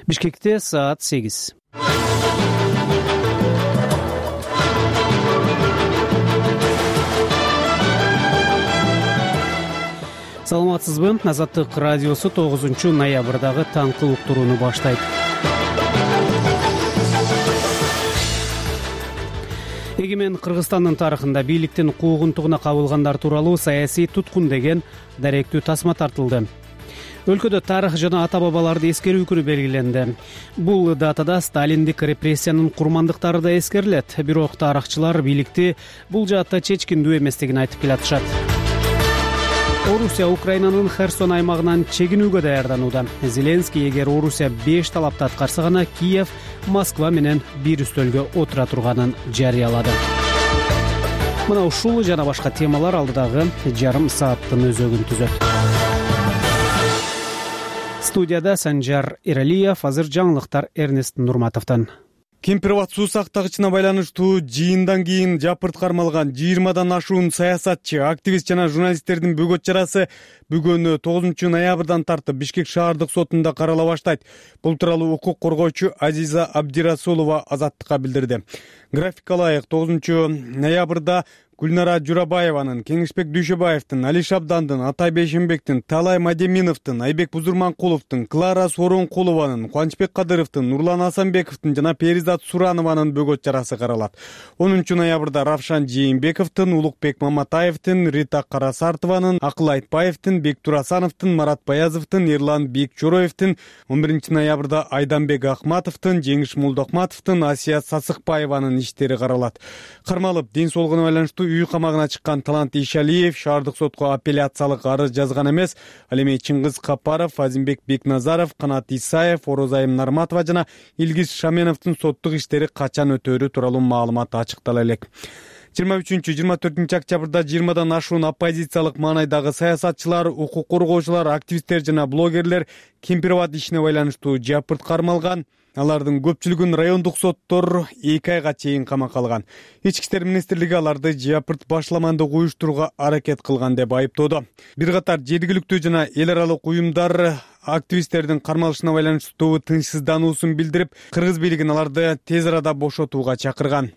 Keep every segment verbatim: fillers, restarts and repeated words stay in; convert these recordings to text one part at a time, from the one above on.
Бишкекте саат сегиз. Саламатсызбы? Азаттык радиосу тогузунчу ноябрдагы таңкы уктурууну баштайт. Эгемен Кыргызстандын тарыхында бийликтин куугунтугуна кабылгандар тууралуу саясий туткун деген даректүү тасма тартылды. Өлкөдө тарых жана ата бабаларды эскерүү күнү белгиленди. Бул датада сталиндик репрессиянын курмандыктары да эскерилет. Бирок тарыхчылар бийликти бул жаатта чечкиндүү эместигин айтып келатышат. Орусия Украинанын Херсон аймагынан чегинүүгө даярданууда. Зеленский эгер Орусия беш талапты аткарса гана Киев Москва менен бир үстөлгө отура турганын жарыялады. Мына ушул жана башка темалар алдыдагы жарым сааттын өзөгүн түзөт. Студияда Санжар Эралиев, азыр жаңылыктар Эрнест Нурматовдон. Кемпирабад суу сактагычына байланыштуу жыйындан кийин жапырт кармалган жыйырмадан ашуун саясатчы, активист жана журналисттердин бөгөт чарасы бүгүн тогузунчу ноябрдан тартып Бишкек шаардык сотунда карала баштайт. Бул тууралуу укук коргоочу Азиза Абдирасулова Азаттыкка билдирди. Графикка ылайык тогузунчу ноябрда Гүлнара Журабаеванын, Кеңешбек Дүйшөбаевдин, Али Шабдандын, Атай Бейшенбектин, Талай Мадеминовдун, Айбек Бузурманкуловдун, Клара Соронкулованын, Кубанычбек Кадыровдун, Нурлан Асанбековдун жана Перизат Суранованын бөгөт чарасы каралат. онунчу ноябрда Равшан Жээнбековдун, Улукбек Маматаевдин, Рита Карасартованын, Акыл Айтбаевдин, Бектур Асановдун, Марат Баязовдун, Эрлан Бекчороевдин, он биринчи ноябрда Айданбек Ахматовдун, Жеңиш Молдокматовдун, Асия Сасыкбаеванын иштери каралат. Кармалып, ден соолугуна байланыштуу үй камагына чыккан Талант Ишалиев шаардык сотко апелляциялык арыз жазган эмес. Ал эми Чыңгыз Капаров, Азимбек Бекназаров, Канат Исаев, Орозайым Нарматова жана Илгиз Шаменовдун соттук иштери качан өтөөрү тууралуу маалымат ачыктала элек. жыйырма үчүнчү жыйырма төртүнчү октябрда жыйырмадан ашуун оппозициялык маанайдагы саясатчылар, укук коргоочулар, активисттер жана блогерлер Кемпирабад ишине байланыштуу жапырт кармалган. Алардын көпчүлүгүн райондук соттор эки айга чейин камакка алган. Ички иштер министрлиги аларды жапырт башламандык уюштурууга аракет кылган деп айыптоодо. Бир катар жергиликтүү жана эл аралык уюмдар активисттердин кармалышына байланыштуу тынчсыздануусун билдирип, кыргыз бийлигин аларды тез арада бошотууга чакырган.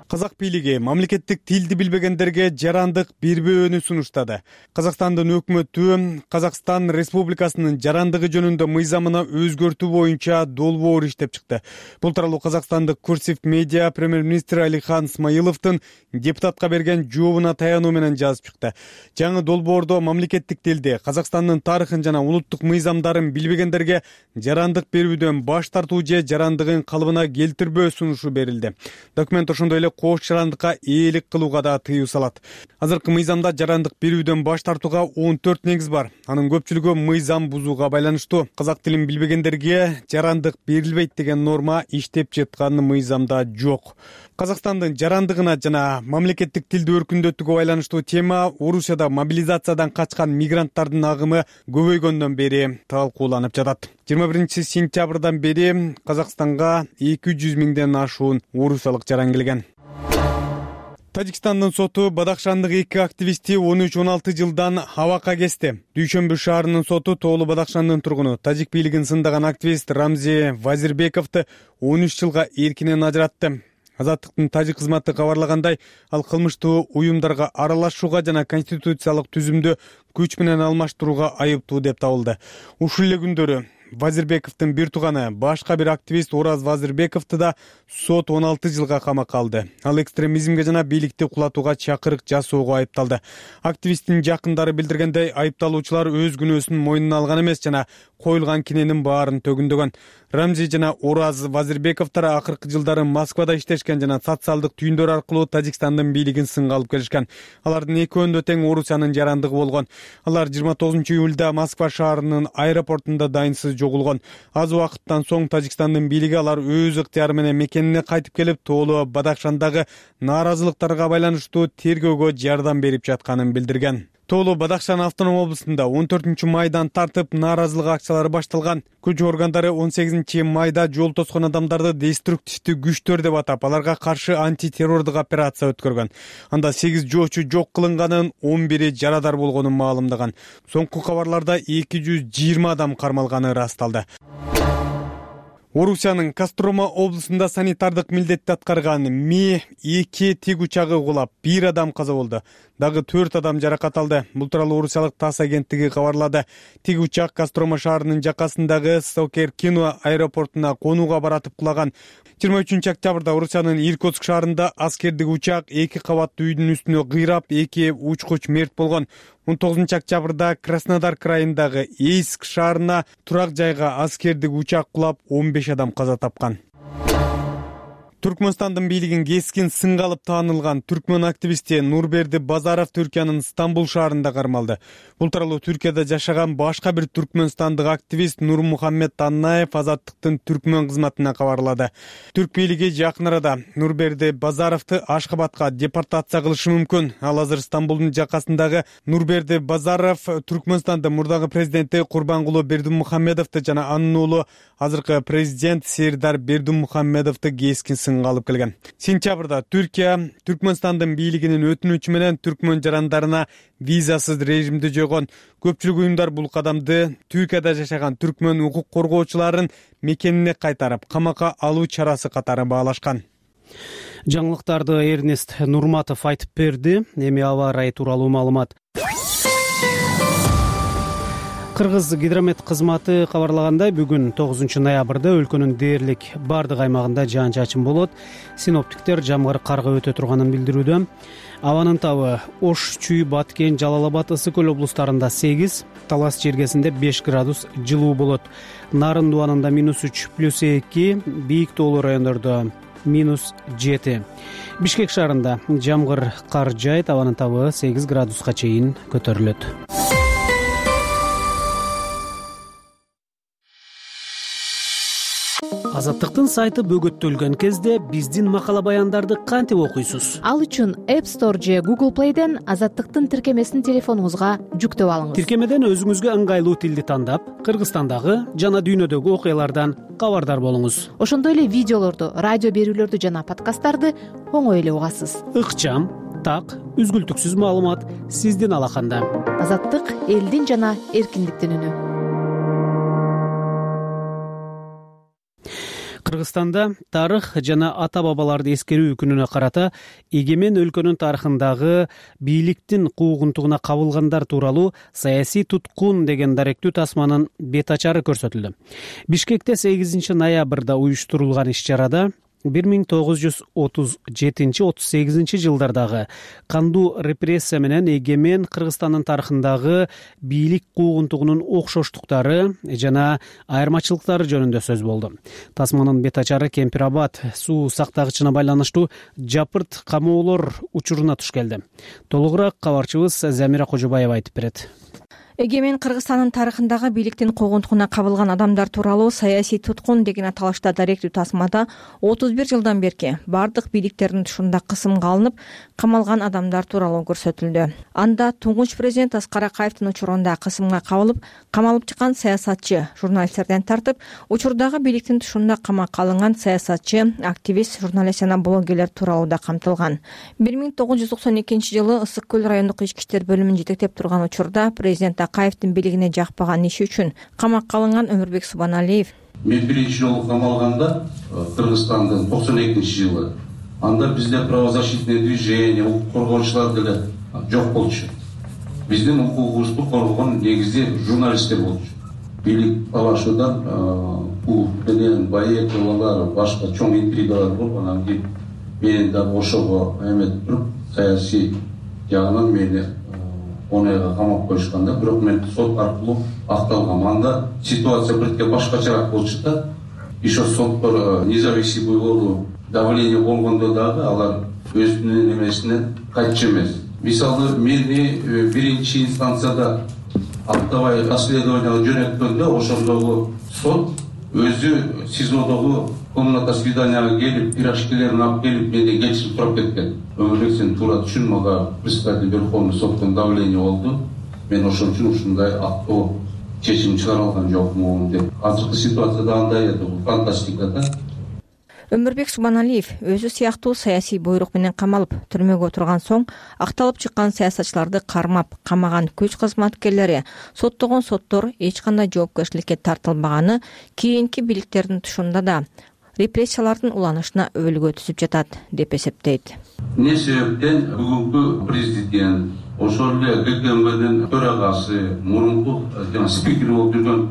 Казак бийлиги мамлекеттик тилди билбегендерге жарандык бербөөнү сунуштады. Казакстандын өкмөтү Казакстан Республикасынын жарандыгы жөнүндө мыйзамына өзгөртүү боюнча долбоор иштеп чыкты. Бул тууралуу Казакстандык Курсив медиа премьер-министр Алихан Смайыловдун депутатка берген жообуна таянуу менен жазып чыкты. Жаңы долбоордо мамлекеттик тилди, Казакстандын тарыхын жана улуттук мыйзамдарын билбегендерге жарандык берүүдөн баш тартуу же жарандыгын калыбына келтирбөө сунушу берилди. Документ ошондой эле кош жарандыкка ээлик кылууга да тыюу салат. Азыркы мыйзамда жарандык берүүдөн баш тартууга он төрт негиз бар. Анын көпчүлүгү мыйзам бузууга байланыштуу. Казак тилин билбегендерге жарандык берилбейт деген норма иштеп жаткан мыйзамда жок. Казакстандын жарандыгына жана мамлекеттик тилди өркүндөтүүгө байланыштуу тема Орусияда мобилизациядан качкан мигранттардын агымы көбөйгөндөн бери талкууланып жатат. жыйырма биринчи сентябрдан бери Казакстанга эки жүз миңден ашуун орусиялык жаран келген. Тажикстандын соту Бадахшандык эки активисти он үч он алты жылдан абакка кести. Дүйшөмбү шаарынын соту Тоолу Бадахшандын тургуну, тажик бийлигин сындаган активист Рамзи Вазирбековду он үч жылга эркинен ажыратты. Азаттыктын тажик кызматы кабарлагандай, ал кылмыштуу уюмдарга аралашууга жана конституциялык түзүмдү күч менен алмаштырууга айыптуу деп табылды. Ушул эле күндөрү Вазирбековдун бир тууганы, башка бир активист Ораз Вазирбековду да сот он алты жылга камакка алды. Ал экстремизмге жана бийликти кулатууга чакырык жасоого айыпталды. Активисттин жакындары билдиргендей, айыпталуучулар өз күнөөсүн мойнуна алган эмес жана коюлган киненин баарын төгүндөгөн. Рамзи жана Ораз Вазирбековдор акыркы жылдары Москвада иштешкен жана социалдык түйүндөр аркылуу Тажикстандын бийлигин сынга алып келишкен. Алардын экөөндө тең Орусиянын жарандыгы болгон. Алар жыйырма тогузунчу июлда Москва шаарынын аэропортунда дайынсыз жоголгон. Аз убакыттан соң Тажикстандын бийлиги алар өз ыктыяры менен мекенине кайтып келип, Тоолу Бадахшандагы нааразылыктарга байланыштуу тергөөгө жардам берип жатканын билдирген. Тоолу Бадахшан автоном облусунда он төртүнчү майдан тартып нааразылык акциялары башталган. Күч органдары он сегизинчи майда жол тоскон адамдарды деструктивдүү күчтөр деп атап, аларга каршы антитеррордук операция өткөргөн. Анда сегиз жоочу жок кылынганын, он бири жарадар болгонун маалымдаган. Соңку кабарларда эки жүз жыйырма адам кармалганы ырасталды. Орусиянын Кострома облусунда санитардык милдетти аткарган Ми эки тиг учагы кулап, бир адам каза болду. Дагы төрт адам жаракат алды. Бул тууралуу орусиялык ТАСС агенттиги кабарлады. Тиг учак Кострома шаарынын жакасындагы Сокер-Кино аэропортуна конууга баратып кулаган. жыйырма үчүнчү октябрда Орусиянын Иркутск шаарында аскердик учак эки кабаттуу үйдүн үстүнө кыйрап, эки учкуч мерт болгон. он тогузунчу октябрда Краснодар крайындагы Эйск шаарына турак жайга аскердик учак кулап, он беш адам каза тапкан. Түркмөнстандын бийлигин кескин сынга алып таанылган түркмөн активисти Нурберди Базаров Түркиянын Стамбул шаарында кармалды. Бул тууралуу Түркияда жашаган башка бир түркмөнстандык активист Нурмухаммед Аннаев Азаттыктын түркмөн кызматына кабарлады. Түрк бийлиги жакын арада Нурберди Базаровду Ашхабадка депортация кылышы мүмкүн. Ал азыр Стамбулдун жакасындагы Нурберди Базаров Түркмөнстандын мурдагы президенти Курбангулу Бердимухаммедовду жана анын уулу азыркы президент Сердар Бердимухаммедовду кескин сынга алып келген. Сентябрда Түркия Түркмөнстандын бийлигинин өтүнүчү менен түркмөн жарандарына визасыз режимди жойгон. Көпчүлүк уюмдар бул кадамды Түркияда жашаган түркмөн укук коргоочуларын мекенине кайтарып, камакка алуу чарасы катары баалашкан. Жаңылыктарды Эрнест Нурматов айтып берди. Эми аба ырайы тууралуу маалымат. Кыргыз гидромет кызматы кабарлагандай, бүгүн тогузунчу ноябрда өлкөнүн дээрлик бардык аймагында жаан-чачын болот. Синоптиктер жамгыр карга өтө турганын билдирүүдө. Абанын табы Ош, Чүй, Баткен, Жалал Абад, Ысык Көл облустарында сегиз, Талас чергесинде беш градус жылуу болот. Нарын дубанында минус үч, плюс эки, бийик тоолуу райондордо минус жети. Бишкек шаарында жамгыр кар жайт, абанын табы сегиз градуска чейин көтөрүлөт. Азаттыктын сайты бөгөттөлгөн кезде биздин макала баяндарды кантип окуйсуз? Ал үчүн App Store же Google Play'ден Азаттыктын тиркемесин телефонуңузга жүктөп алыңыз. Тиркемеден өзүңүзгө ыңгайлуу тилди тандап, Кыргызстандагы жана дүйнөдөгү окуялардан кабардар болуңуз. Ошондой эле видеолорду, радио берүүлөрдү жана подкасттарды оңой эле угасыз. Ыкчам, так, үзгүлтүксүз маалымат сиздин алаканда. Азаттык — элдин жана эркиндиктин үнү. Кыргызстанда тарых жана ата-бабаларды эскерүү күнүнө карата эгемен өлкөнүн тарыхындагы бийликтин куугунтугуна кабылгандар тууралуу саясий туткун деген даректүү тасманын бет ачары көрсөтүлдү. Бишкекте сегизинчи ноябрда уюштурулган иш-чарада бир миң тогуз жүз отуз жетинчи — отуз сегизинчи жылдардагы кандуу репрессия менен эгемен Кыргызстандын тарыхындагы бийлик куугунтугунун окшоштуктары жана айырмачылыктары жөнүндө сөз болду. Тасманын бет ачары Кемпир Абад суу сактагычына байланыштуу жапырт камоолор учуруна туш келди. Толугураак кабарчыбыз Замира Кожобаева айтып берет. Эгемен Кыргызстандын тарыхындагы бийликтин куугунтугуна кабылган адамдар тууралуу саясий туткун деген аталышта даректүү тасмада отуз бир жылдан берки бардык бийликтердин тушунда кысымга алынып камалган адамдар тууралуу көрсөтүлдү. Анда туңгуч президент Аскар Акаевдин учурунда кысымга кабылып, камалып чыккан саясатчы, журналисттерден тартып, учурдагы бийликтин тушунда камакка алынган саясатчы, активист, журналист жана блогерлер тууралуу да камтылган. бир миң тогуз жүз токсон экинчи жылы Ысык Көл райондук ички иштер бөлүмүн жетектеп турган учурда президент Акаевдин бийлигине жакпаган иши үчүн камакка алынган Өмүрбек Субаналиев. Мен биринчи жолу камалганда Кыргызстандын токсон экинчи жылы. Анда бизде правозащитный движение, укук коргоочулар деле жок болчу. Биздин укугубузду коргогон негизи журналисттер болчу. Бийлик талашуудан бул менен Баековалар, башка чоң интригалар болуп, анан кийин менин да ошого эмет туруп, саясий жагынан мени он айга камап коюшканда, бирок мен сот аркылуу акталгам. Анда ситуация бирке башкачараак болчу да. Еще соттор независимый болуу давление болгондо дагы алар өзүнүн эмесинен кайтчу эмес. Мисалы, мени биринчи инстанцияда актабай расследованияга жөнөткөндө, ошондогу сот өзү СИЗОдогу комната свиданияга келип, пирожкилерин алып келип, мени кечирип туруп кеткен. Өмүрбек, сен туура түшүн, мага председатель Верховный соттон давление болду. Мен ошон үчүн ушундай актоо чечим чыгара алган жокмун деп. Азыркы ситуацияда андай эди, бул фантастика да. Өмүрбек Субаналиев өзү сыяктуу саясий буйрук менен камалып түрмөгө отурган соң акталып чыккан саясатчыларды кармап камаган күч кызматкерлери соттогон соттор эч кандай жоопкерчиликке тартылбаганы кийинки бийликтердин тушунда да репрессиялардын уланышына өбөлгө түзүп жатат деп эсептейт. Эмне себептен бүгүнкү президент, ошол эле гэ ка эм бдин төрагасы, мурунку жана спикер болуп жүргөн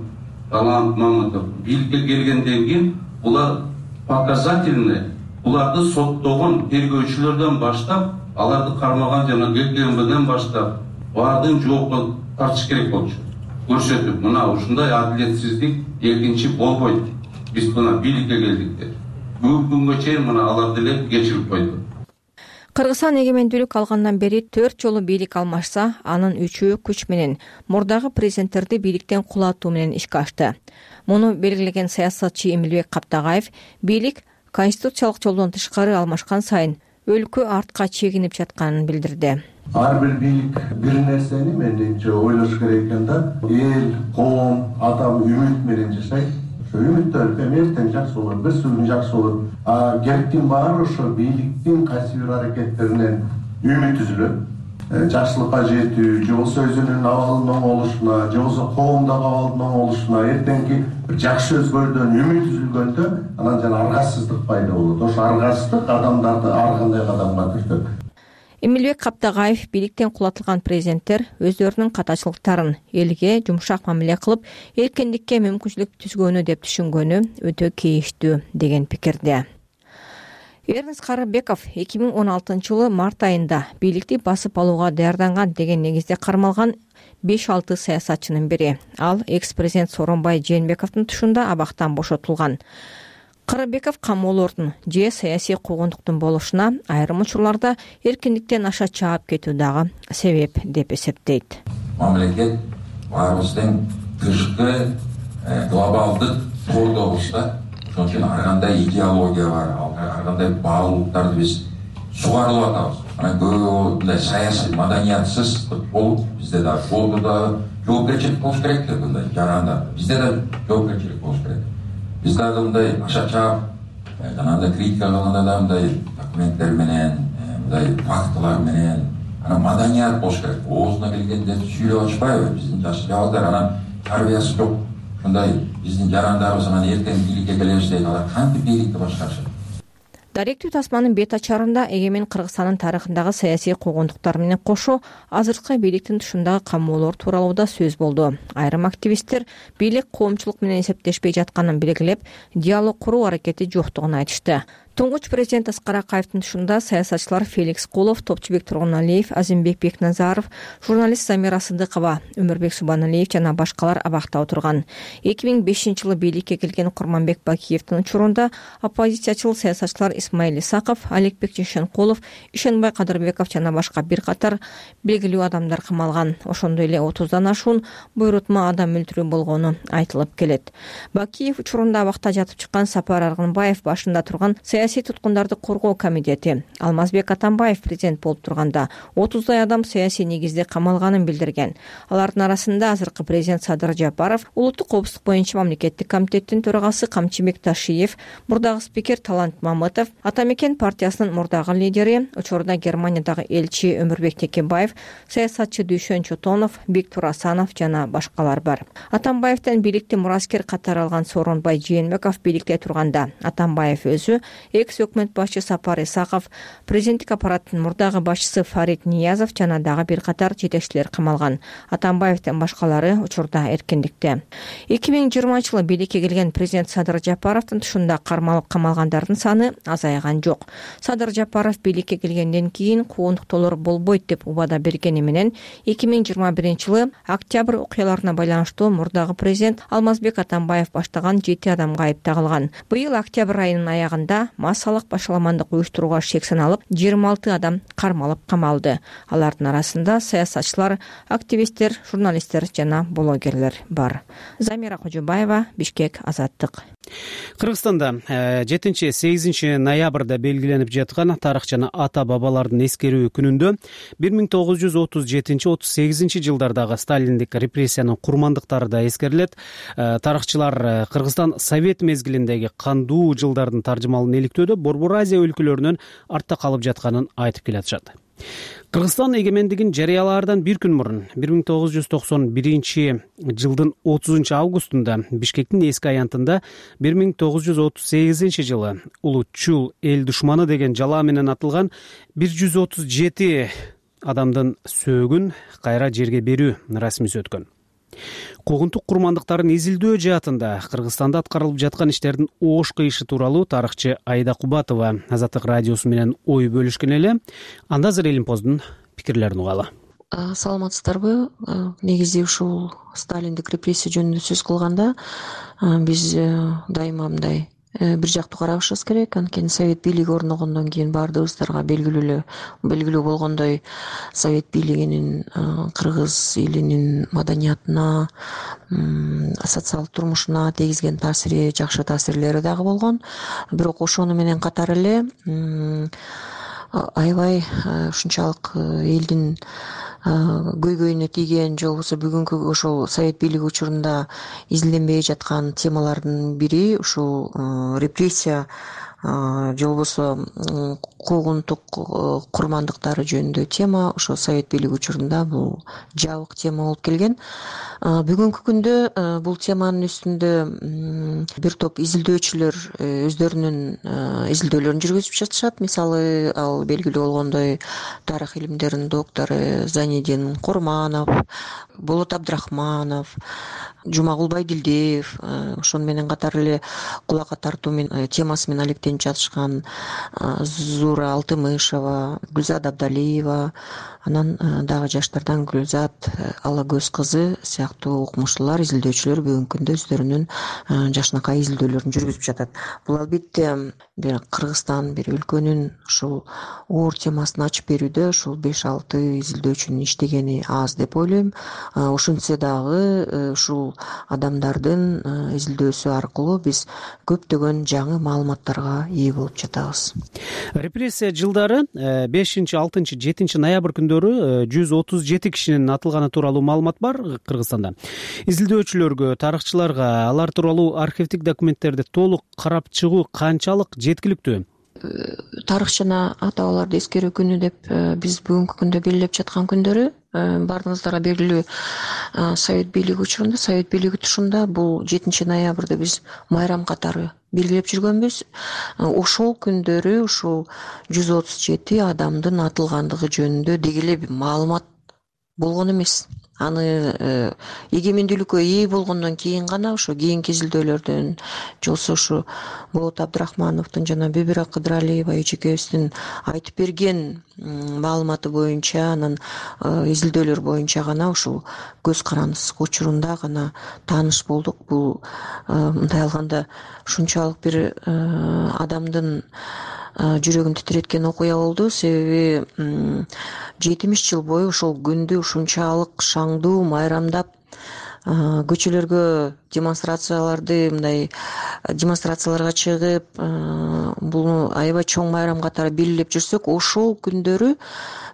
Талант Мамытов бийликке келгенден кийин булар показательный, буларды соттогон тергөөчүлөрдөн баштап, аларды кармаган жана гэ ка эм бден баштап баардыгын жоопко тартыш керек болчу. Көрсөтүп, мына ушундай адилетсиздик экинчи болбойт. Биз мына бийликке келдик деп. Бүгүнкү күнгө чейин мына аларды эле кечирип койду. Кыргызстан эгемендүүлүк алгандан бери төрт жолу бийлик алмашса, анын үчөө күч менен мурдагы президенттерди бийликтен кулатуу менен ишке ашты. Муну белгилеген саясатчы Эмилбек Каптагаев бийлик конституциялык жолдон тышкары алмашкан сайын өлкө артка чегинип жатканын билдирди. Ар бир бийлик бир нерсени менимче ойлош керек экен да. Эл, коом, адам үмүт менен жашайт. Ошо үмүттөр эртең жакшы болот, бир сүрүн жакшы болот. А керектин баары ошо бийликтин кайсы бир аракеттеринен үмүт түзүлөт. Жакшылыкка жетүү, же болбосо өзүнүн абалынын оңолушуна, же болбосо коомдогу абалдын оңолушуна, эртеңки бир жакшы өзгөрүүдөн үмүт түзүлгөндө анан жана аргасыздык пайда болот. Ошо аргасыздык адамдарды ар кандай кадамга түртөт. Эмилбек Каптагаев бийликтен кулатылган президенттер өздөрүнүн катачылыктарын элге жумшак мамиле кылып, эркиндикке мүмкүнчүлүк түзгөнү деп түшүнгөнү өтө кейиштүү деген пикирде. Эрнест Карыбеков эки миң он алтынчы жылы март айында бийликти басып алууга даярданган деген негизде кармалган беш алты саясатчынын бири. Ал экс-президент Сооронбай Жээнбековдун тушунда абактан бошотулган. Карыбеков камоолордун же саясий куугунтуктун болушуна, айрым учурларда эркиндиктен аша чаап кетүү дагы себеп деп эсептейт. Мамлекет баарыбыздын тышкы глобалдык тордобузда ошон үчүн ар кандай идеология бар, ар кандай баалуулуктарды биз сугарылып атабыз. Анан көп мындай саясий маданиятсыз болуп, бизде да болду да жоопкерчилик болуш керек деп мындай жарандар. Бизде да жоопкерчилик болуш керек. Биз дагы мындай аша чаап, жанагындай критика кылганда да мындай документтер менен, мындай фактылар менен, анан маданият болуш керек. Оозуна келгенде сүйлөп ачпайбы? Биздин жаш жабалдар анан тарбиясы жок. Ушундай биздин жарандарыбыз анан эртең бийликке келебиз дейт, алар кантип бийликти башкарышат? Даректүү тасманын бет ачарында эгемен Кыргызстандын тарыхындагы саясий куугунтуктар менен кошо азыркы бийликтин тушундагы камоолор тууралуу да сөз болду. Айрым активисттер бийлик коомчулук менен эсептешпей жатканын белгилеп, диалог куруу аракети жоктугун айтышты. Туңгуч президент Аскар Акаевдин тушунда саясатчылар Феликс Кулов, Топчубек Тургуналиев, Азимбек Бекназаров, журналист Замира Сыдыкова, Өмүрбек Субаналиев жана башкалар абакта отурган. эки миң бешинчи жылы бийликке келген Курманбек Бакиевдин учурунда оппозициячыл саясатчылар Исмаил Исаков, Аликбек Жешенкулов, Ишенбай Кадырбеков жана башка бир катар белгилүү адамдар камалган. Ошондой эле отуздан ашуун буйрутма адам өлтүрүү болгону айтылып келет. Бакиев учурунда абакта жатып чыккан Сапар Аргынбаев башында турган саясий туткундарды коргоо комитети, Алмазбек Атамбаев президент болуп турганда отуздай адам саясий негизде камалганын билдирген. Алардын арасында азыркы президент Садыр Жапаров, улуттук коопсуздук боюнча мамлекеттик комитеттин төрагасы Камчыбек Ташиев, мурдагы спикер Талант Мамытов, Ата Мекен партиясынын мурдагы лидери, учурда Германиядагы элчи Өмүрбек Текебаев, саясатчы Дүйшөн Чотонов, Бектур Асанов жана башкалар бар. Атамбаевден бийликти мураскер катары алган Сооронбай Жээнбеков бийликте турганда, Атамбаев өзү экс өкмөт башчы Сапар Исаков, президенттик аппараттын мурдагы башчысы Фарид Ниязов жана дагы бир катар жетекчилер камалган. Атамбаевдин башкалары учурда эркиндикте. эки миң жыйырманчы жылы бийликке келген президент Садыр Жапаровдун тушунда кармалып камалгандардын саны азайган жок. Садыр Жапаров бийликке келгенден кийин куугунтуктоолор болбойт деп убада бергени менен эки миң жыйырма биринчи жылы октябрь окуяларына байланыштуу мурдагы президент Алмазбек Атамбаев баштаган жети адамга айып тагылган. Быйыл октябрь айынын аягында массалык башаламандык уюштурууга шек саналып, жыйырма алты адам кармалып камалды. Алардын арасында саясатчылар, активисттер, журналисттер жана блогерлер бар. Замира Кожобаева, Бишкек, Азаттык. Кыргызстанда жетинчи сегизинчи ноябрда белгиленип жаткан тарых жана ата бабалардын эскерүү күнүндө бир миң тогуз жүз отуз жетинчи отуз сегизинчи жылдардагы сталиндик репрессиянын курмандыктары да эскерилет. Тарыхчылар Кыргызстан Совет мезгилиндеги кандуу жылдардын таржымалын иликтөөдө Борбор Азия өлкөлөрүнөн артта калып жатканын айтып келатышат. Кыргызстан эгемендигин жарыялаардан бир күн мурун бир миң тогуз жүз токсон биринчи жылдын отузунчу августунда Бишкектин эски аянтында бир миң тогуз жүз отуз сегизинчи жылы улуу Чул эл душманы деген жалаа менен атылган бир жүз отуз жети адамдын сөөгүн кайра жерге берүү расмиси өткөн. Куугунтук курмандыктарын изилдөө жаатында Кыргызстанда аткарылып жаткан иштердин оош кыйышы тууралуу тарыхчы Айда Кубатова Азаттык радиосу менен ой бөлүшкөн эле. Анда азыр Элимпоздун пикирлерин угалы. Саламатсыздарбы? Негизи ушул Сталиндик репрессия жөнүндө сөз кылганда биз дайыма мындай бир жактуу карашыбыз керек. Анткени Совет бийлиги орногондон кийин баардыгыбыздарга белгилүү белгилүү болгондой Совет бийлигинин кыргыз элинин маданиятына, социалдык турмушуна тийгизген таасири, жакшы таасирлери дагы болгон. Бирок ошону менен катар эле аябай ушунчалык элдин көйгөйүнө тийген же болбосо бүгүнкү ошол Совет бийлиги учурунда изилденбей жаткан темалардын бири ушул репрессия же болбосо куугунтук курмандыктары жөнүндө тема. Ошо Совет бийлиги учурунда бул жабык тема болуп келген. Бүгүнкү күндө бул теманын үстүндө бир топ изилдөөчүлөр өздөрүнүн изилдөөлөрүн жүргүзүп жатышат. Мисалы, ал белгилүү болгондой тарых илимдеринин доктору Занидин Курманов, Болот Абдрахманов, Жумагул Байдилдиев, ошону менен катар эле кулакка тартуу темасы менен алектенип жатышкан Зура Алтымышева, Гүлзат Абдалиева, анан дагы жаштардан Гүлзат Алагөз кызы сыяктуу окумуштуулар, изилдөөчүлөр бүгүнкү күндө өздөрүнүн жакшынакай изилдөөлөрүн жүргүзүп жатат. Бул албетте бир Кыргызстан, бир өлкөнүн ушул оор темасын ачып берүүдө ушул беш алты изилдөөчүнүн иштегени аз деп ойлойм. Ошентсе дагы ушул адамдардын изилдөөсү аркылуу биз көптөгөн жаңы маалыматтарга ээ болуп жатабыз. Репрессия жылдары бешинчи, алтынчы, жетинчи ноябрь күндөрү жүз отуз жети кишинин атылганы тууралуу маалымат бар Кыргызстанда. Изилдөөчүлөргө, тарыхчыларга алар тууралуу архивдик документтерди толук карап чыгуу канчалык жеткиликтүү? Тарых жана ата-бабаларды эскерүү күнү деп биз бүгүнкү күндө белгилеп жаткан күндөрү баардыгыңыздарга белгилүү Совет бийлиги учурунда, Совет бийлиги тушунда бул жетинчи ноябрды биз майрам катары белгилеп жүргөнбүз. Ошол күндөрү ушул жүз отуз жети адамдын атылгандыгы жөнүндө деги эле маалымат болгон эмес. Аны эгемендүүлүккө ээ болгондон кийин гана ошо кийинки изилдөөлөрдөн, же болбосо ушу Болот Абдрахмановдун жана Бүбүра Кыдыралиева эжекебиздин айтып берген маалыматы боюнча, анан изилдөөлөр боюнча гана ушул көз карандысыз учурунда гана тааныш болдук. Бул мындай алганда ушунчалык бир адамдын жүрөгүн титиреткен окуя болду. Себеби жетимиш жыл бою ошол күндү ушунчалык шаңдуу майрамдап, көчөлөргө демонстрацияларды мындай демонстрацияларга чыгып, буну аябай чоң майрам катары белгилеп жүрсөк, ошол күндөрү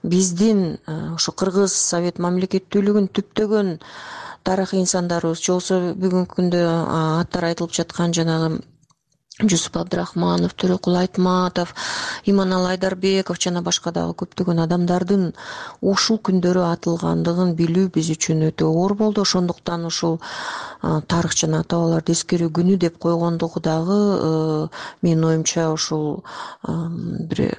биздин ошо Кыргыз Совет мамлекеттүүлүгүнүн түптөгөн тарыхый инсандарыбыз, же болбосо бүгүнкү күндө аттары айтылып жаткан жанагы Жусуп Абдрахманов, Төрөкул Айтматов, Иманалы Айдарбеков жана башка дагы көптөгөн адамдардын ушул күндөрү атылгандыгын билүү биз үчүн өтө оор болду. Ошондуктан ушул тарых жана ата-бабаларды эскерүү күнү деп койгондугу дагы менин оюмча ушул бир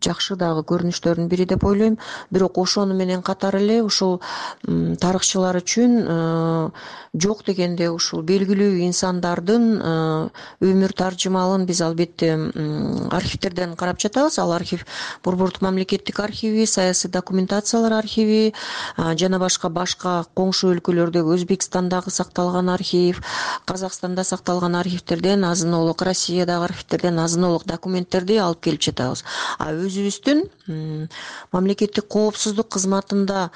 жакшы дагы көрүнүштөрдүн бири деп ойлойм. Бирок ошону менен катар эле ушул тарыхчылар үчүн жок дегенде ушул белгилүү инсандардын өмүр таржымалын биз албетте архивтерден карап жатабыз. Ал архив Борбордук мамлекеттик архиви, саясий документациялар архиви жана башка башка коңшу өлкөлөрдөгү, Өзбекстандагы сакталган архив, Казакстанда сакталган архивтерден азын-олук, Россиядагы архивтерден азын-олук документтерди алып келип жатабыз. А өзүбүздүн мамлекеттик коопсуздук кызматында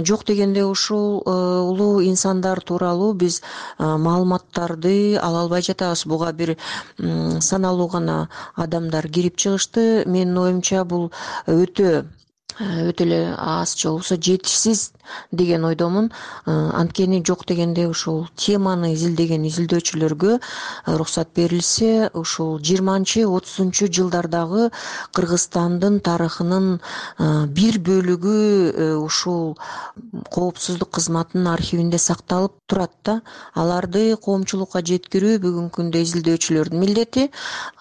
жок дегенде ушул улуу инсандар тууралуу биз маалыматтарды ала албай жатабыз. Буга бир саналуу гана адамдар кирип чыгышты. Менин оюмча бул өтө өтө эле аз, же болбосо жетишсиз деген ойдомун. Анткени жок дегенде ушул теманы изилдеген изилдөөчүлөргө уруксат берилсе, ушул жыйырманчы отузунчу жылдардагы Кыргызстандын тарыхынын бир бөлүгү ушул коопсуздук кызматынын архивинде сакталып турат да. Аларды коомчулукка жеткирүү бүгүнкү күндө изилдөөчүлөрдүн милдети.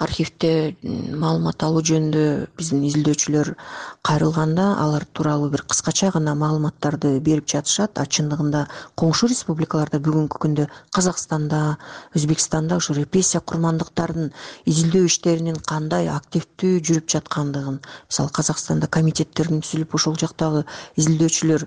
Архивде маалымат алуу жөнүндө биздин изилдөөчүлөр кайрылганда алар тууралуу бир кыскача гана маалыматтарды берип жатышат. А чындыгында коңшу республикаларда бүгүнкү күндө Казакстанда, Өзбекстанда ушу репрессия курмандыктардын изилдөө иштеринин кандай активдүү жүрүп жаткандыгын, мисалы Казакстанда комитеттердин түзүлүп ошол жактагы изилдөөчүлөр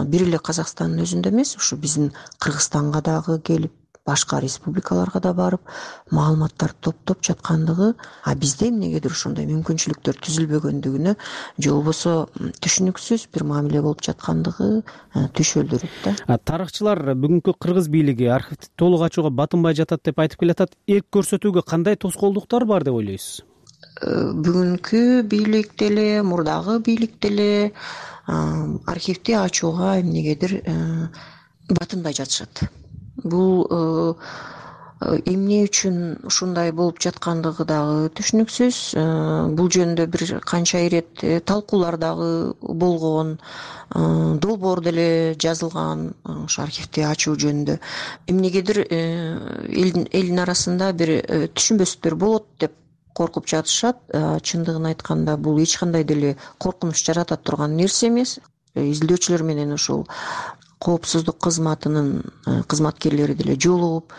бир эле Казакстандын өзүндө эмес, ушу биздин Кыргызстанга дагы келип, башка республикаларга да барып маалыматтарды топтоп жаткандыгы, а бизде эмнегедир ошондой мүмкүнчүлүктөр түзүлбөгөндүгүнө же болбосо түшүнүксүз бир мамиле болуп жаткандыгы түшөлдүрөт да. Тарыхчылар бүгүнкү кыргыз бийлиги архивди толук ачууга батынбай жатат деп айтып келатат. Эрк көрсөтүүгө кандай тоскоолдуктар бар деп ойлойсуз? Бүгүнкү бийлик деле, мурдагы бийлик деле архивди ачууга эмнегедир батынбай жатышат. Бул эмне үчүн ушундай болуп жаткандыгы дагы түшүнүксүз. Бул жөнүндө бир канча ирет талкуулар дагы болгон, долбоор деле жазылган ушу архивди ачуу жөнүндө. Эмнегедир элдин арасында бир түшүнбөстүктөр болот деп коркуп жатышат. Чындыгын айтканда бул эч кандай деле коркунуч жарата турган нерсе эмес. Изилдөөчүлөр менен ушул коопсуздук кызматынын кызматкерлери деле жолугуп,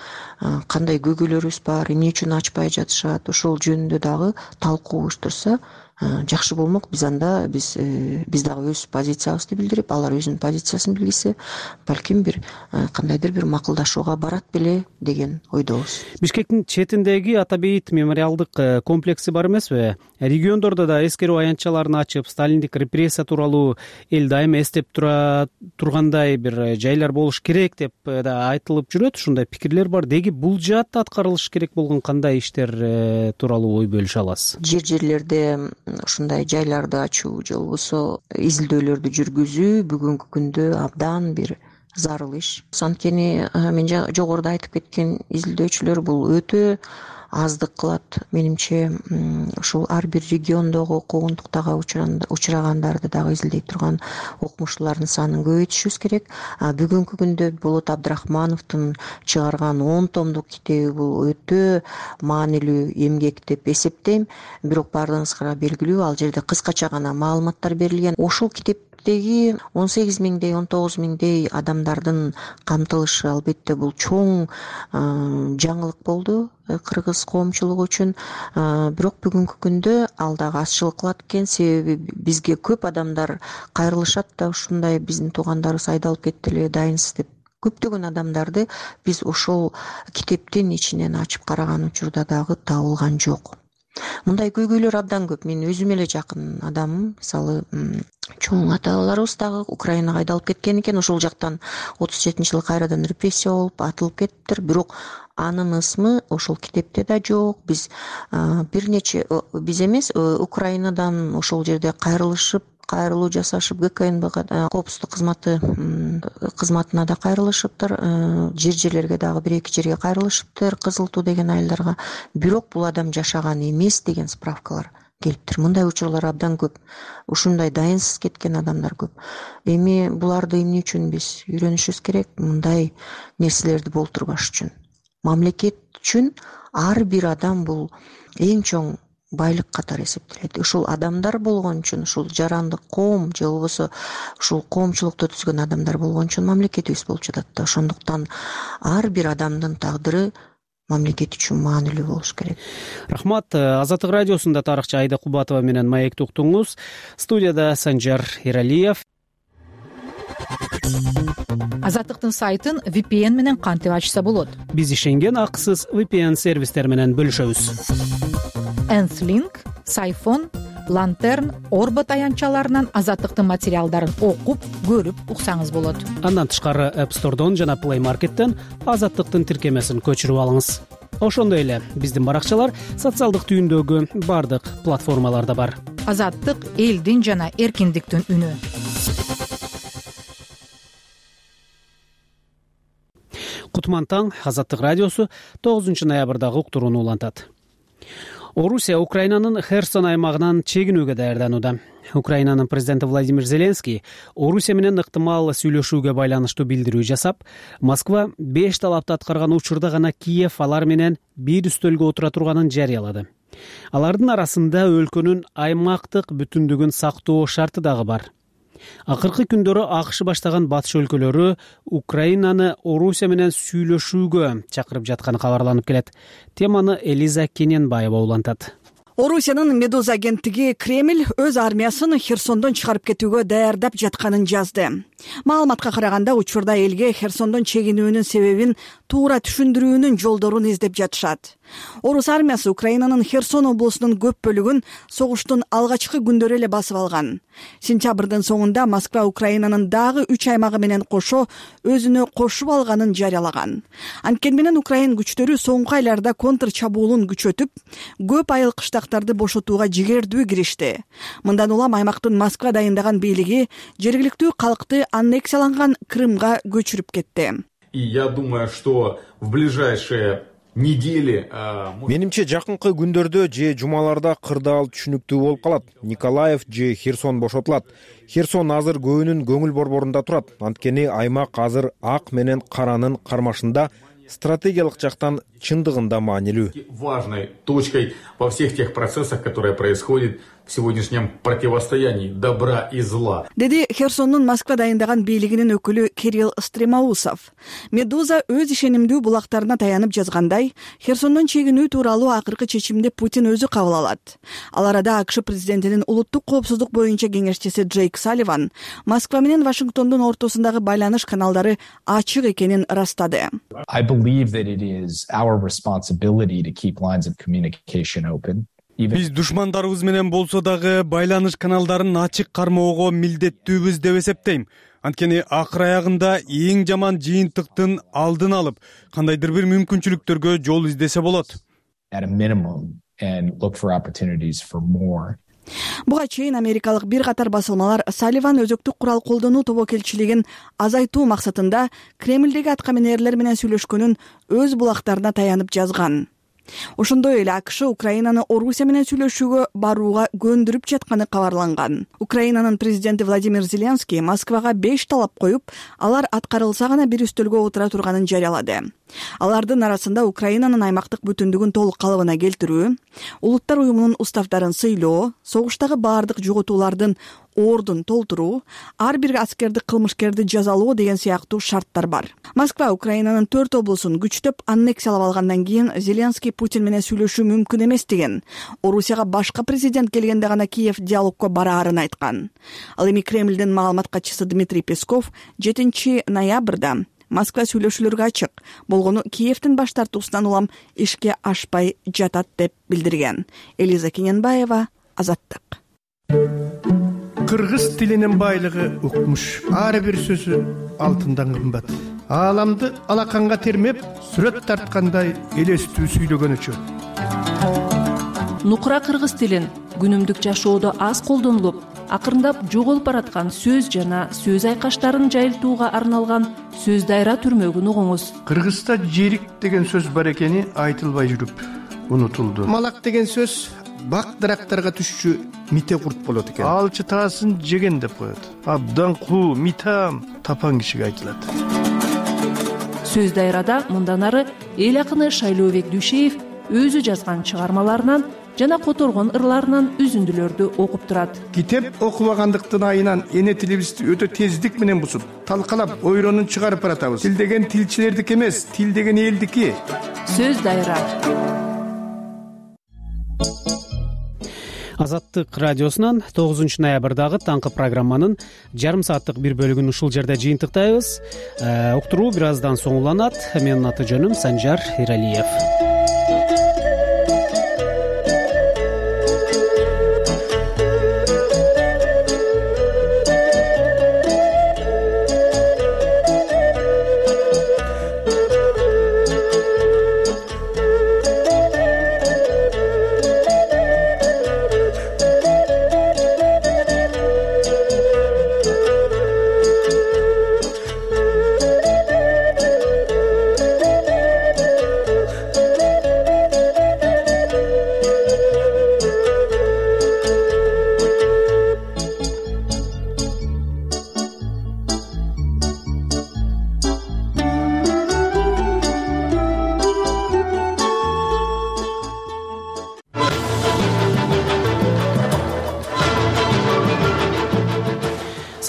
кандай көйгөйлөрүбүз бар, эмне үчүн ачпай жатышат, ошол жөнүндө дагы талкуу уюштурса жакшы болмок. Биз анда биз биз дагы өз позициябызды билдирип, алар өзүнүн позициясын билгисе, балким бир кандайдыр бир макулдашууга барат беле деген ойдобуз. Бишкектин четиндеги Ата Бейит мемориалдык комплекси бар эмеспи? Региондордо да эскерүү аянтчаларын ачып, сталиндик репрессия тууралуу эл дайыма эстеп тура тургандай бир жайлар болуш керек деп да айтылып жүрөт. Ушундай пикирлер бар. Деги бул жаатта аткарылыш керек болгон кандай иштер тууралуу ой бөлүшө аласыз? Жер жерлерде ушундай жайларды ачуу же болбосо изилдөөлөрдү жүргүзүү бүгүнкү күндө абдан бир зарыл иш. Анткени мен жогоруда айтып кеткен изилдөөчүлөр бул өтө аздык кылат. Менимче ушул ар бир региондогу куугунтуктага учурагандарды дагы изилдей турган окумуштуулардын санын көбөйтүшүбүз керек. Бүгүнкү күндө Болот Абдрахмановдун чыгарган он томдук китеби бул өтө маанилүү эмгек деп эсептейм. Бирок баардыгыңызга белгилүү, ал жерде кыскача гана маалыматтар берилген. Ошол китептеги он сегиз миңдей, он тогуз миңдей адамдардын камтылышы албетте бул чоң жаңылык болду кыргыз коомчулугу үчүн. Бирок бүгүнкү күндө ал дагы азчылык кылат экен. Себеби бизге көп адамдар кайрылышат да, ушундай биздин туугандарыбыз айдалып кетти эле, дайынсыз деп. Көптөгөн адамдарды биз ошол китептин ичинен ачып караган учурда дагы табылган жок. Мындай көйгөйлөр абдан көп. Мен өзүм эле жакын адамым. Мисалы, чоң ата-бабаларыбыз дагы Украинага айдалып кеткен экен. Ошол жактан отуз жетинчи жылы кайрадан репрессия болуп атылып кеттиптир. Бирок анын ысмы ошол китепте да жок. Биз бир нече биз эмес, Украинадан ошол жерде кайрылышып, кайрылуу жасашып, ГКНБга коопсуздук кызматы кызматына да кайрылышыптыр. Жер жерлерге дагы бир эки жерге кайрылышыптыр, Кызыл Туу деген айылдарга. Бирок бул адам жашаган эмес деген справкалар келиптир. Мындай учурлар абдан көп. Ушундай дайынсыз кеткен адамдар көп. Эми буларды эмне үчүн биз үйрөнүшүбүз керек? Мындай нерселерди болтурбаш үчүн. Мамлекет үчүн ар бир адам бул эң чоң байлык катары эсептелет. Ушул адамдар болгон үчүн, ушул жарандык коом же болбосо ушул коомчулукту түзгөн адамдар болгон үчүн мамлекетибиз болуп жатат да. Ошондуктан ар бир адамдын тагдыры мамлекет үчүн маанилүү болуш керек. Рахмат. Азаттык радиосунда тарыхчы Айда Кубатова менен маекти уктуңуз. Студияда Санжар Эралиев. Азаттыктын сайтын ви пи эн менен кантип ачса болот? Биз ишенген акысыз ви пи эн сервистер менен бөлүшөбүз. Энслинк, Сайфон, Лантерн, Орбот аянтчаларынан азаттыктын материалдарын окуп, көрүп уксаңыз болот. Андан тышкары App Store'дон жана Play Market'тен азаттыктын тиркемесин көчүрүп алыңыз. Ошондой эле биздин баракчалар социалдык түйүндөгү бардык платформаларда бар. Азаттык элдин жана эркиндиктин үнү. кутман таң. Азаттык радиосу тогузунчу ноябрдагы уктурууну улантат. Орусия Украинанын Херсон аймагынан чегинүүгө даярданууда. Украинанын президенти Владимир Зеленский Орусия менен ыктымал сүйлөшүүгө байланыштуу билдирүү жасап, Москва беш талапты аткарган учурда гана Киев алар менен бир үстөлгө отура турганын жарыялады. Алардын арасында өлкөнүн аймактык бүтүндүгүн сактоо шарты дагы бар. Акыркы күндөрү АКШ баштаган батыш өлкөлөрү Украинаны Орусия менен сүйлөшүүгө чакырып жатканы кабарланып келет. Теманы Элиза Кененбаева улантат. Орусиянын Медуза агенттиги Кремль өз армиясын Херсондон чыгарып кетүүгө даярдап жатканын жазды. Маалыматка караганда учурда элге Херсондон чегинүүнүн себебин туура түшүндүрүүнүн жолдорун издеп жатышат. Орус армиясы Украинанын Херсон облусунун көп бөлүгүн согуштун алгачкы күндөрү эле басып алган. Сентябрдын соңунда Москва Украинанын дагы үч аймагы менен кошо өзүнө кошуп алганын жарыялаган. Анткени менен Украин күчтөрү соңку айларда контр чабуулун күчөтүп, көп айыл кыштактарды бошотууга жигердүү киришти. Мындан улам аймактын Москва дайындаган бийлиги жергиликтүү калкты аннексияланган Крымга көчүрүп кетти. И я думаю, что в ближайшие недели менимче жакынкы күндөрдө же жумаларда кырдаал түшүнүктүү болуп калат. Николаев же Херсон бошотулат. Херсон азыр көбүнүн көңүл борборунда турат. Анткени аймак азыр ак менен каранын кармашында стратегиялык жактан чындыгында маанилүү. Важной точкой во всех тех процессах, которые происходят в сегодняшнем противостоянии добра и зла. Деди Херсондун Москва дайындаган бийлигинин өкүлү Кирилл Стремаусов. Медуза өз ишенимдүү булактарына таянып жазгандай, Херсондон чегинүү тууралуу акыркы чечимди Путин өзү кабыл алат. Ал арада АКШ президентинин улуттук коопсуздук боюнча кеңешчиси Джейк Салливан Москва менен Вашингтондун ортосундагы байланыш каналдары ачык экенин ырастады. I believe that it is our responsibility to keep lines of communication open. Биз душмандарыбыз менен болсо дагы байланыш каналдарын ачык кармоого милдеттүүбүз деп эсептейм. Анткени акыр аягында эң жаман жыйынтыктын алдын алып, кандайдыр бир мүмкүнчүлүктөргө жол издесе болот. At a minimum and look for opportunities for more. Буга чейин америкалык бир катар басылмалар Салливан өзөктүк курал колдонуу тобокелчилигин азайтуу максатында Кремлдеги аткаминерлер менен сүйлөшкөнүн өз булактарына таянып жазган. Ошондой эле АКШ Украинаны Орусия менен сүйлөшүүгө барууга көндүрүп жатканы кабарланган. Украинанын президенти Владимир Зеленский Москвага беш талап коюп, алар аткарылса гана бир үстөлгө отура турганын жарыялады. Алардын арасында Украинанын аймактык бүтүндүгүн толук калыбына келтирүү, улуттар уюмунун уставдарын сыйлоо, согуштагы баардык жоготуулардын ордун толтуруу, ар бир аскерди кылмышкерди жазалоо деген сыяктуу шарттар бар. Москва Украинанын төрт облусун күчтөп аннексиялап алгандан кийин Зеленский Путин менен сүйлөшүү мүмкүн эмес деген. Орусияга башка президент келгенде гана Киев диалогко бараарын айткан. Ал эми Кремлдин маалымат катчысы Дмитрий Песков жетинчи ноябрда Москва сүйлөшүүлөргө ачык болгону Киевдин баш тартуусунан улам ишке ашпай жатат деп билдирген. Элиза Кененбаева, Азаттык. Кыргыз тилинин байлыгы укмуш. Ар бир сөзү алтындан кымбат. Ааламды алаканга термеп, сүрөт тарткандай элестүү сүйлөгөн үчүн. Нукура кыргыз тилин күнүмдүк жашоодо аз колдонулуп, акырындап жоголуп бараткан сөз жана сөз айкаштарын жайылтууга арналган сөз дайра түрмөгүн угуңуз. Кыргызда жерик деген сөз бар экени айтылбай жүрүп унутулду. Малак деген сөз бак дарактарга түшчү мите курт болот экен. Алчы таасын жеген деп коет. Абдан куу, митам тапан кишиге айтылат. Сөз дайрада мындан ары эл акыны Шайлообек Дүйшеев өзү жазган чыгармаларынан жана которгон ырларынан үзүндүлөрдү окуп турат. Китеп окубагандыктын айынан эне тилибизди өтө тездик менен бузуп, талкалап, ойронун чыгарып баратабыз. Тил деген тилчилердики эмес, тил деген элдики. Сөз дайра. Азаттык радиосунан тогузунчу ноябрдагы таңкы программанын жарым сааттык бир бөлүгүн ушул жерде жыйынтыктайбыз. Уктуруу бир аздан соң уланат. Менин аты жөнүм Санжар Иралиев.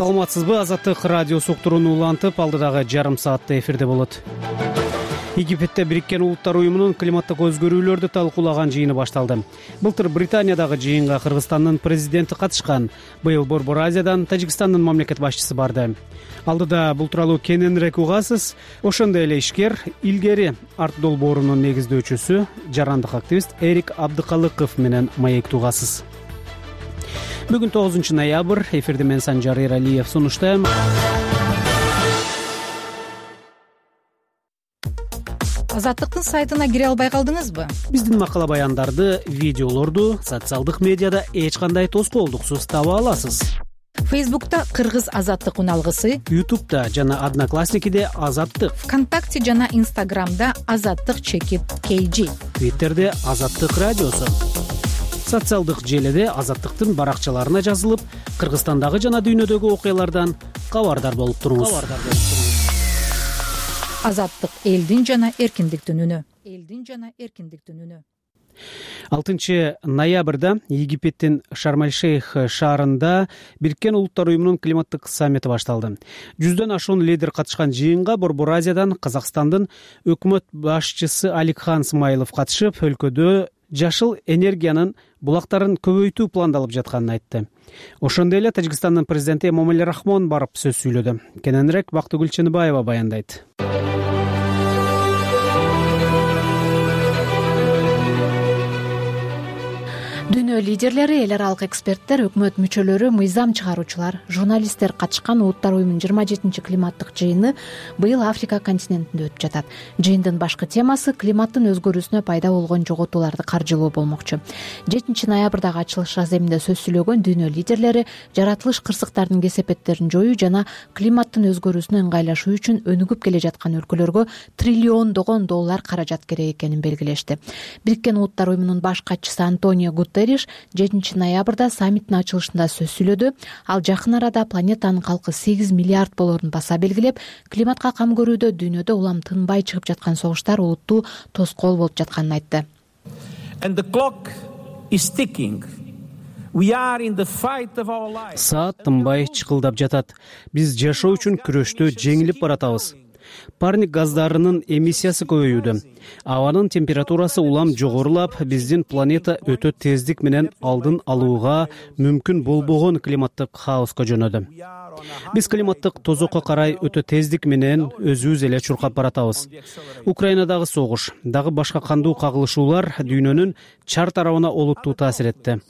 саламатсызбы? Азаттык радиосу уктурууну улантып, алдыдагы жарым саатта эфирде болот. Египетте Бириккен Улуттар уюмунун климаттык өзгөрүүлөрдү талкуулаган жыйыны башталды. Былтыр Британиядагы жыйынга Кыргызстандын президенти катышкан. Быйыл Борбор Азиядан Тажикстандын мамлекет башчысы барды. Алдыда бул тууралуу кененирээк угасыз. Ошондой эле ишкер, илгери арт долбоорунун негиздөөчүсү, жарандык активист Эрик Абдыкалыков менен маектүү угасыз. Бүгүн тогузунчу ноябрь, эфирде мен Санжар Эралиев сунуштайм. Азаттыктын сайтына кире албай калдыңызбы? Биздин макала баяндарды, видеолорду социалдык медиада эч кандай тоскоолдуксуз таба аласыз. Фейсбукта Кыргыз Азаттык уналгысы, Ютубта жана Одноклассникиде Азаттык, ВКонтакте жана Инстаграмда Азаттык чекит кей жи, Твиттерде Азаттык радиосу. Социалдык желиде Азаттыктын баракчаларына жазылып, Кыргызстандагы жана дүйнөдөгү окуялардан кабардар болуп туруңуз. Азаттык элдин жана эркиндиктин үнү. Элдин жана эркиндиктин үнү. алтынчы ноябрда Египеттин Шарм-эль-Шейх шаарында Бириккен Улуттар уюмунун климаттык саммити башталды. Жүздөн ашуун лидер катышкан жыйынга Борбор Азиядан Казакстандын өкмөт башчысы Аликхан Смайлов катышып, өлкөдө жашыл энергиянын булактарын көбөйтүү пландалып жатканын айтты. Ошондой эле Тажикстандын президенти Эмомали Рахмон барып сөз сүйлөдү. Кененирээк Бактыгүл Чыныбаева баяндайт. Дүйнө лидерлери, эл аралык эксперттер, өкмөт мүчөлөрү, мыйзам чыгаруучулар, журналисттер катышкан Улуттар уюмунун жыйырма жетинчи климаттык жыйыны быйыл Африка континентинде өтүп жатат. Жыйындын башкы темасы климаттын өзгөрүүсүнө пайда болгон жоготууларды каржылоо болмокчу. жетинчи ноябрдагы ачылыш аземинде сөз сүйлөгөн дүйнө лидерлери жаратылыш кырсыктарынын кесепеттерин жоюу жана климаттын өзгөрүүсүнө ыңгайлашуу үчүн өнүгүп келе жаткан өлкөлөргө триллиондогон доллар каражат керек экенин белгилешти. Бириккен Улуттар уюмунун баш катчысы Антонио Гутерриш жетинчи ноябрда саммиттин ачылышында сөз сүйлөдү. Ал жакын арада планетанын калкы сегиз миллиард болорун баса белгилеп, климатка кам көрүүдө дүйнөдө улам тынбай чыгып жаткан согуштар олуттуу тоскоол болуп жатканын айтты. Саат тынбай чыкылдап жатат. Биз жашоо үчүн күрөштө жеңилип баратабыз. Парник газдарынын эмиссиясы көбөйүүдө. Абанын температурасы улам жогорулап, биздин планета өтө тездик менен алдын алууга мүмкүн болбогон климаттык хаоска жөнөдү. Биз климаттык тозокко карай өтө тездик менен өзүбүз эле чуркап баратабыз. Украинадагы согуш, дагы башка кандуу кагылышуулар дүйнөнүн чар тарабына олуттуу таасир этти.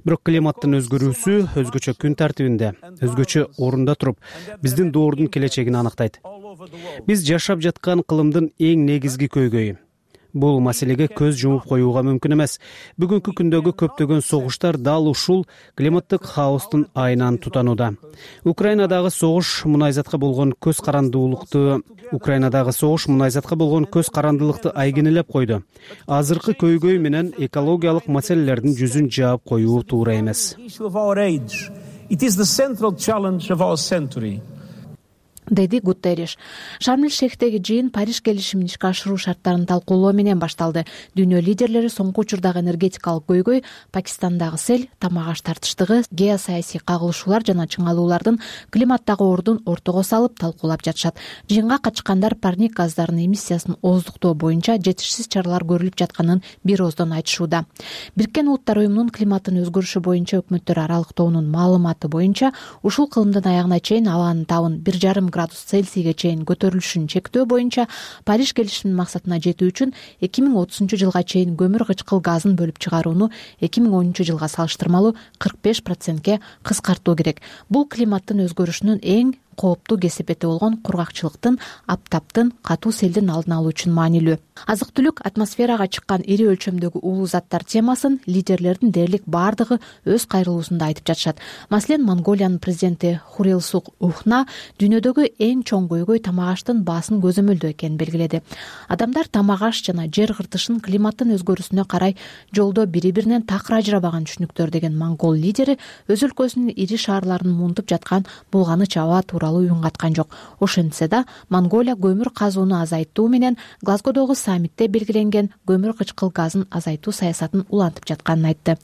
Бирок климаттын өзгөрүүсү өзгөчө күн тартибинде, өзгөчө орунда туруп, биздин доордун келечегин анактайт. Биз жашап жаткан кылымдын эң негизги көйгөйү. Бул маселеге көз жумуп коюуга мүмкүн эмес. Бүгүнкү күндөгү көптөгөн согуштар дал ушул климаттык хаостун айынан тутанууда. Украинадагы согуш мунайзатка болгон көз карандуулукту Украинадагы согуш мунайзатка болгон көз карандылыкты айгинелеп койду. Азыркы көйгөй менен экологиялык маселелердин жүзүн жаап коюу туура эмес. Деди Гутерриш. Шарм-эль-Шейхтеги жыйын Париж келишимин ишке ашыруу шарттарын талкуулоо менен башталды. Дүйнө лидерлери соңку учурдагы энергетикалык көйгөй, Пакистандагы сел, тамак аш тартыштыгы, геосаясий кагылышуулар жана чыңалуулардын климаттагы ордун ортого салып талкуулап жатышат. Жыйынга катышкандар парник газдарынын эмиссиясын ооздуктоо боюнча жетишсиз чаралар көрүлүп жатканын бир ооздон айтышууда. Бириккен Улуттар уюмунун климаттын өзгөрүшү боюнча өкмөттөр аралык тобунун маалыматы боюнча ушул кылымдын аягына чейин абанын табын бир жарым градус Цельсийге чейин көтөрүлүшүн чектөө боюнча Париж келишиминин максатына жетүү үчүн эки миң отузунчу жылга чейин көмүр кычкыл газын бөлүп чыгарууну эки миң онунчу жылга салыштырмалуу кырк беш процентке кыскартуу керек. Бул климаттын өзгөрүшүнүн эң кооптуу кесепети болгон кургакчылыктын, аптаптын, катуу селдин алдын алуу үчүн маанилүү. Азык-түлүк атмосферага чыккан ири өлчөмдөгү уулуу заттар темасын лидерлердин дээрлик бардыгы өз кайрылуусунда айтып жатышат. Маселен, Монголиянын президенти Хурилсук Ухна дүйнөдөгү эң чоң көйгөй тамак аштын баасын көзөмөлдөө экенин белгиледи. Адамдар тамак аш жана жер кыртышын климаттын өзгөрүүсүнө карай жолдо бири-биринен такыр ажырабаган түшүнүктөр деген монгол лидери өз өлкөсүнүн ири шаарларын муунтуп жаткан булганыч аба тууралуу үн каткан жок. Ошентсе да Монголия көмүр казууну азайтуу менен Глазгодогу саммитте белгиленген көмүр кычкыл газын азайтуу саясатын улантып жатканын айтты.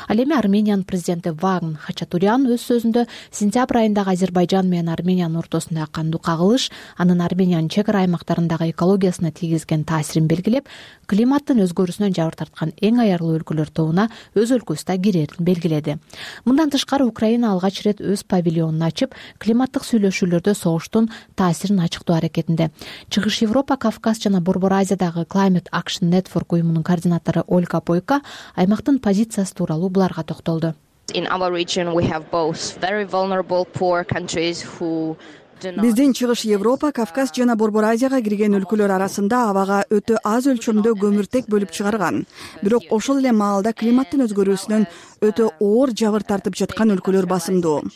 Ал эми Армениянын президенти Вагн Хачатурян өз сөзүндө сентябрь айындагы Азербайжан менен Армениянын ортосундагы кандуу кагылыш анын Армениянын чек ара аймактарындагы экологиясына тийгизген таасирин белгилеп, климаттын өзгөрүүсүнөн жабыр тарткан эң аярлуу өлкөлөр тобуна өз өлкөсү да кирерин белгиледи. Мындан тышкары Украина алгач ирет өз павильонун ачып, климаттык сүйлөшүүлөрдө согуштун таасирин ачыктоо аракетинде. Чыгыш Европа, Кавказ жана Борбор Азиядагы Climate Action Network уюмунун координатору Ольга Бойко аймактын позициясы тууралуу буларга токтолду. In our region we have both very vulnerable poor countries who Биздин Чыгыш Европа, Кавказ жана Борбор Азияга кирген өлкөлөр арасында абага өтө аз өлчөмдө көмүртек бөлүп чыгарган. Бирок ошол эле маалда климаттын өзгөрүүсүнөн өтө оор жабыр тартып жаткан өлкөлөр басымдуу.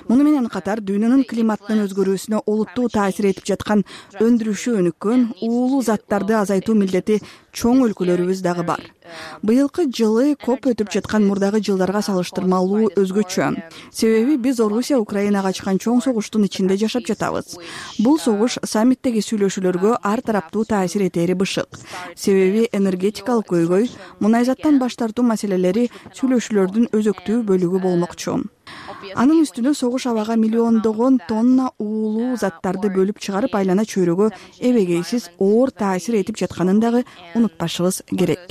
Муну менен катар дүйнөнүн климаттын өзгөрүүсүнө олуттуу таасир этип жаткан өндүрүшү өнүккөн уулуу заттарды азайтуу милдети чоң өлкөлөрүбүз дагы бар. Быйылкы жылы коп өтүп жаткан мурдагы жылдарга салыштырмалуу өзгөчө. Себеби биз Орусия Украинага ачкан чоң согуштун ичинде жашап жатабыз. Бул согуш саммиттеги сүйлөшүүлөргө ар тараптуу таасир этери бышык. Себеби энергетикалык көйгөй, мунайзаттан баш тартуу маселелери сүйлөшүүлөрдүн өзөктүү бөлүгү болмокчу. Анын үстүнө согуш абага миллиондогон тонна уулуу заттарды бөлүп чыгарып айлана чөйрөгө эбегейсиз оор таасир этип жатканын дагы унутпашыбыз керек.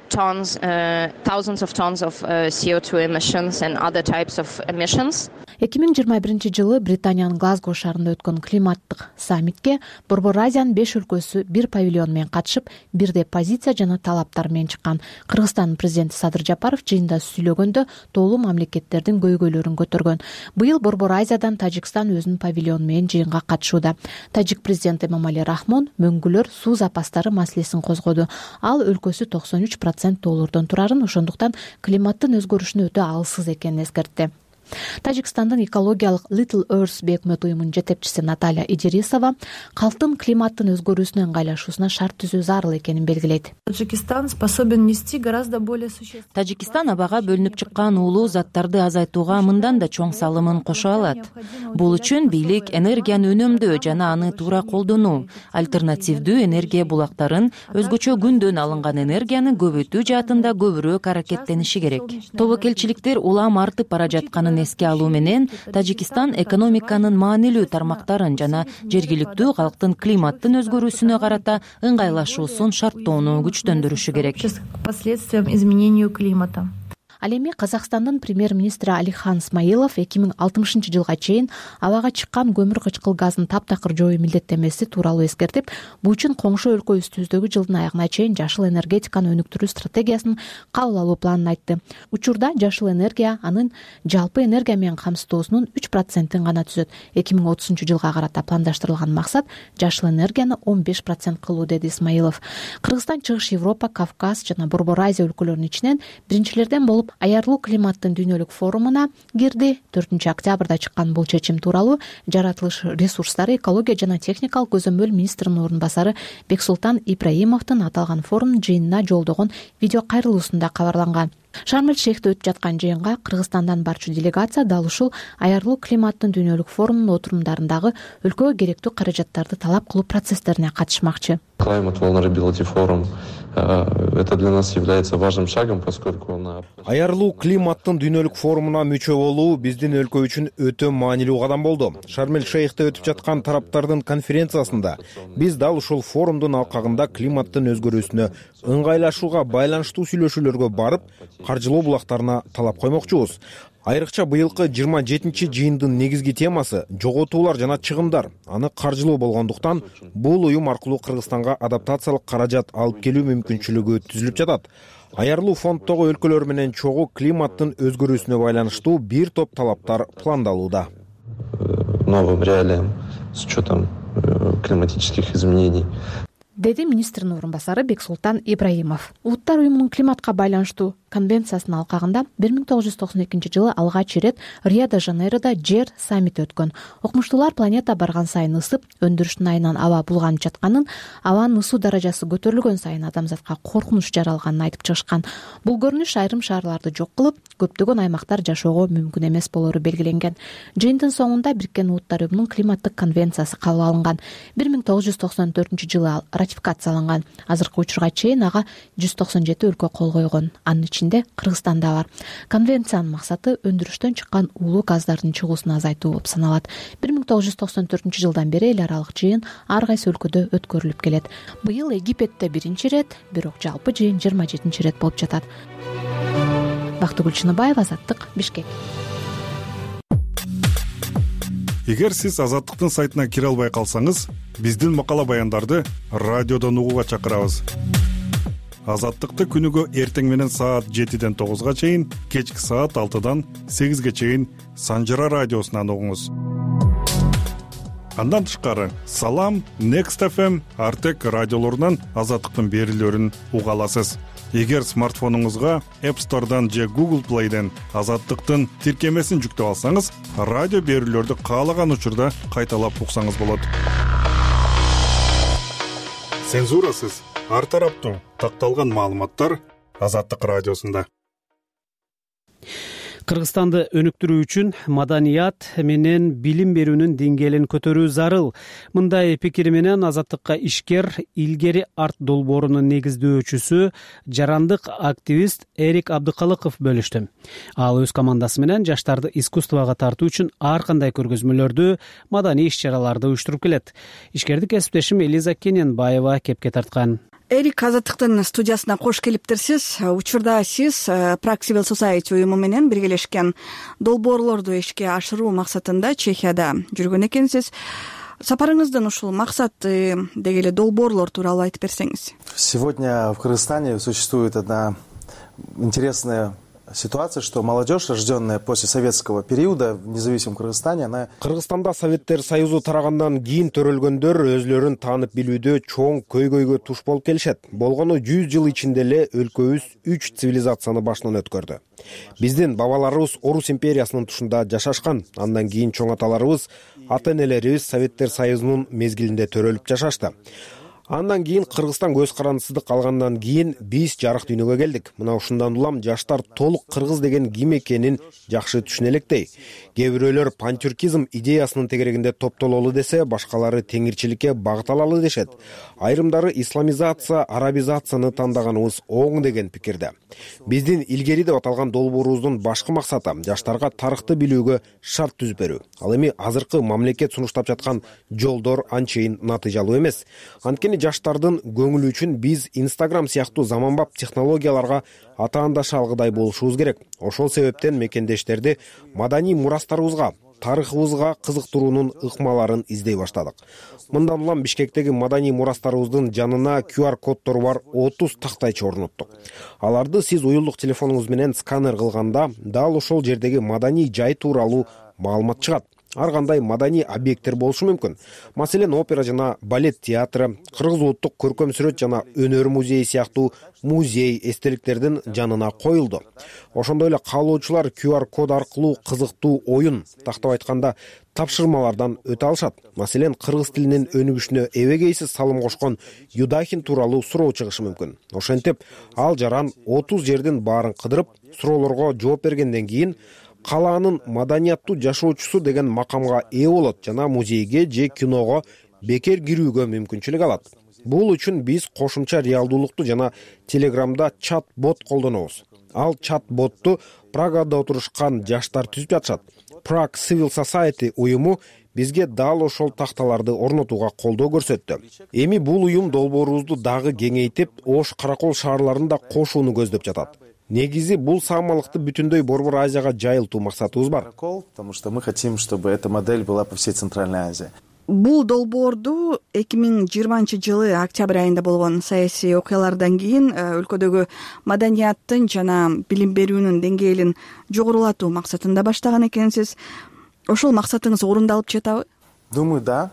Tons, uh, thousands of tons of uh, C O two emissions and other types of emissions. эки миң жыйырма биринчи жылы Британиянын Глазго шаарында өткөн климаттык саммитке Борбор Азиянын беш өлкөсү бир павильон менен катышып, бирдей позиция жана талаптар менен чыккан. Кыргызстандын президенти Садыр Жапаров жыйында сүйлөгөндө тоолуу мамлекеттердин көйгөйлөрүн көтөргөн. Быйыл Борбор Азиядан Тажикстан өзүнүн павильону менен жыйынга катышууда. Тажик президенти Эмомали Рахмон мөңгүлөр суу запастары маселесин козгоду. Ал өлкөсү токсон үч процент тоолордон турарын, ошондуктан климаттын өзгөрүшүнө өтө алсыз экенин эскертти. Тажикстандын экологиялык Little Earth бейөкмөт уюмунун жетекчиси Наталья Идирисова калктын климаттын өзгөрүүсүнө ыңгайлашуусуна шарт түзүү зарыл экенин белгилейт. Таджикистан способен нести гораздо более существенный. Тажикистан абага бөлүнүп чыккан уулуу заттарды азайтууга мындан да чоң салымын кошо алат. Бул үчүн бийлик энергияны үнөмдөө жана аны туура колдонуу, альтернативдүү энергия булактарын, өзгөчө күндөн алынган энергияны көбөйтүү жаатында көбүрөөк аракеттениши керек. Тобокелчиликтер улам артып бара жатканын эске алуу менен Тажикистан экономиканын маанилүү тармактарын жана жергиликтүү калктын климаттын өзгөрүүсүнө карата ыңгайлашуусун шарттоону күчтөндүрүшү керек. Последствиям изменению климата. Ал эми Казакстандын премьер-министри Алихан Смаилов эки миң алтымышынчы жылга чейин абага чыккан көмүр кычкыл газын таптакыр жоюу милдеттенмеси тууралуу эскертип, бул үчүн коңшу өлкө үстүбүздөгү жылдын аягына чейин жашыл энергетиканы өнүктүрүү стратегиясын кабыл алуу планын айтты. Учурда жашыл энергия анын жалпы энергия менен камсыздоосунун үч процентин гана түзөт. эки миң отузунчу жылга карата пландаштырылган максат жашыл энергияны он беш процент кылуу, деди Исмаилов. Кыргызстан Чыгыш Европа, Кавказ жана Борбор Азия өлкөлөрүнүн ичинен биринчилерден болуп Аярлуу климаттын дүйнөлүк форумуна кирди. төртүнчү октябрда чыккан бул чечим тууралуу жаратылыш ресурстары, экология жана техникалык көзөмөл министринин орун басары Бексултан Ибраимовдун аталган форум жыйынына жолдогон видео кайрылуусунда кабарланган. Шарм-эль-Шейхте өтүп жаткан жыйынга Кыргызстандан барчу делегация дал ушул аярлуу климаттын дүйнөлүк форумунун отурумдарындагы өлкөгө керектүү каражаттарды талап кылуу процесстерине катышмакчы. Climate Vulnerability Forum это для нас является важным шагом, поскольку он Аярлуу климаттын дүйнөлүк форумуна мүчө болуу биздин өлкө үчүн өтө маанилүү кадам болду. Шарм-эль-Шейхте өтүп жаткан тараптардын конференциясында биз дал ушул форумдун алкагында климаттын өзгөрүүсүнө ыңгайлашууга байланыштуу сүйлөшүүлөргө барып, каржылоо булактарына талап коймокчубуз. Айрыкча быйылкы жыйырма жетинчи жыйындын негизги темасы жоготуулар жана чыгымдар. Аны каржылоо болгондуктан бул уюм аркылуу Кыргызстанга адаптациялык каражат алып келүү мүмкүнчүлүгү түзүлүп жатат. Аярлуу фонддогу өлкөлөр менен чогуу климаттын өзгөрүүсүнө байланыштуу бир топ талаптар пландалууда. Новым реалиям с учетом климатических изменений. Деди министрдин орун басары Бексултан Ибраимов. Улуттар уюмунун климатка байланыштуу конвенциясынын алкагында бир миң тогуз жүз токсон экинчи жылы алгач ирет Рио-де-Жанейрода жер саммити өткөн. Окумуштуулар планета барган сайын ысып, өндүрүштүн айынан аба булганып жатканын, абанын ысуу даражасы көтөрүлгөн сайын адамзатка коркунуч жаралганын айтып чыгышкан. Бул көрүнүш айрым шаарларды жок кылып, көптөгөн аймактар жашоого мүмкүн эмес болору белгиленген. Жыйындын соңунда Бириккен Улуттар уюмунун климаттык конвенциясы кабыл алынган. бир миң тогуз жүз токсон төртүнчү жылы ал ратификацияланган. Азыркы учурга чейин ага жүз токсон жети өлкө кол койгон. Анын ичинде Кыргызстан да бар. Конвенциянын максаты өндүрүштөн чыккан уулуу газдардын чыгуусун азайтуу болуп саналат. бир миң тогуз жүз токсон төртүнчү жылдан бери эл аралык жыйын ар кайсы өлкөдө өткөрүлүп келет. Быйыл Египетте биринчи ирет, бирок жалпы жыйын жыйырма жетинчи ирет болуп жатат. Бактыгүл Чыныбаева, Азаттык, Бишкек. Эгер сиз Азаттыктын сайтына кире албай калсаңыз, биздин макала баяндарды радиодон угууга чакырабыз. Азаттыкты күнүгө эртең менен саат жетиден тогузга чейин, кечки саат алтыдан сегизге чейин Санжара радиосунан угуңуз. Андан тышкары Салам, Next эф эм, Артек радиолорунан Азаттыктын берүүлөрүн уга аласыз. Эгер смартфонуңузга App Store'дан же Google Play'ден Азаттыктын тиркемесин жүктөп алсаңыз, радио берүүлөрдү каалаган учурда кайталап уксаңыз болот. Цензурасыз, ар тараптуу такталган маалыматтар Азаттык радиосунда. Кыргызстанды өнүктүрүү үчүн маданият менен билим берүүнүн деңгээлин көтөрүү зарыл. Мындай пикири менен Азаттыкка ишкер Илгери арт долбоорунун негиздөөчүсү, жарандык активист Эрик Абдыкалыков бөлүштү. Ал өз командасы менен жаштарды искусствого тартуу үчүн ар кандай көргөзмөлөрдү, маданий иш-чараларды уюштуруп келет. Ишкерди кесиптешим Элиза Кененбаева кепке тарткан. Эрик, Азаттыктын студиясына кош келиптирсиз. Учурда сиз Prague Civil Society уюму менен биргелешкен долбоорлорду ишке ашыруу максатында Чехияда жүргөн экенсиз. Сапарыңыздын ушул максаты деги эле долбоорлор тууралуу айтып берсеңиз. Сегодня в Кыргызстане существует одна интересная ситуация, что молодежь, рожденная после советского периода в независимом Кыргызстане, она... Кыргызстанда Советтер Союзу тарагандан кийин төрөлгөндөр өзлөрүн таанып билүүдө чоң көйгөйгө туш болуп келишет. Болгону жүз жыл ичинде эле өлкөбүз үч цивилизацияны башынан өткөрдү. Биздин бабаларыбыз Орус империясынын тушунда жашашкан. Андан кийин чоң аталарыбыз, ата-энелерибиз Советтер Союзунун мезгилинде төрөлүп жашашты. Андан кийин Кыргызстан көз карандысыздык алгандан кийин биз жарык дүйнөгө келдик. Мына ушундан улам жаштар толук кыргыз деген ким экенин жакшы түшүнө электей. Кээ бирөөлөр пантюркизм идеясынын тегерегинде топтололу десе, башкалары теңирчиликке багыт алалы дешет. Айрымдары исламизация, арабизацияны тандаганыбыз оң деген пикирде. Биздин илгери деп аталган долбоорубуздун башкы максаты жаштарга тарыхты билүүгө шарт түзүп берүү. Ал эми азыркы мамлекет сунуштап жаткан жолдор анчейин натыйжалуу эмес. Анткени жаштардын көңүлү үчүн биз Instagram сыяктуу заманбап технологияларга атаандаша алгыдай болушубуз керек. Ошол себептен мекендештерди маданий мурастарыбызга, тарыхыбызга кызыктыруунун ыкмаларын издей баштадык. Мындан улам Бишкектеги маданий мурастарыбыздын жанына ку ар коддору бар отуз тактайчы орноттук. Аларды сиз уюлдук телефонуңуз менен сканер кылганда дал ошол жердеги маданий жай тууралуу маалымат чыгат. Ар кандай маданий объекттер болушу мүмкүн. Маселен, опера жана балет театры, Кыргыз улуттук көркөм сүрөт жана өнөр музейи сыяктуу музей эстеликтердин жанына коюлду. Ошондой эле каалоочулар ку ар код аркылуу кызыктуу оюн, тактап айтканда тапшырмалардан өтө алышат. Маселен, кыргыз тилинин өнүгүшүнө эбегейсиз салым кошкон Юдахин тууралуу суроо чыгышы мүмкүн. Ошентип, ал жаран отуз жердин баарын кыдырып, суроолорго жооп бергенден кийин калаанын маданияттуу жашоочусу деген макамга ээ болот жана музейге же киного бекер кирүүгө мүмкүнчүлүк алат. Бул үчүн биз кошумча реалдуулукту жана Телеграмда чат-бот колдонобуз. Ал чат-ботту Прагада отурушкан жаштар түзүп жатышат. Prague Civil Society уюму бизге дал ошол такталарды орнотууга колдоо көрсөттү. Эми бул уюм долбоорубузду дагы кеңейтип, Ош, Каракол шаарларын да кошууну көздөп жатат. Негизи бул саамалыкты бүтүндөй Борбор Азияга жайылтуу максатыбыз бар. Потому что мы хотим, чтобы эта модель была по всей Центральной Азии. Бул долбоорду эки миң жыйырманчы жылы октябрь айында болгон саясий окуялардан кийин өлкөдөгү маданияттын жана билим берүүнүн деңгээлин жогорулатуу максатында баштаган экенсиз. Ошол максатыңыз орундалып жатабы? Думаю, да.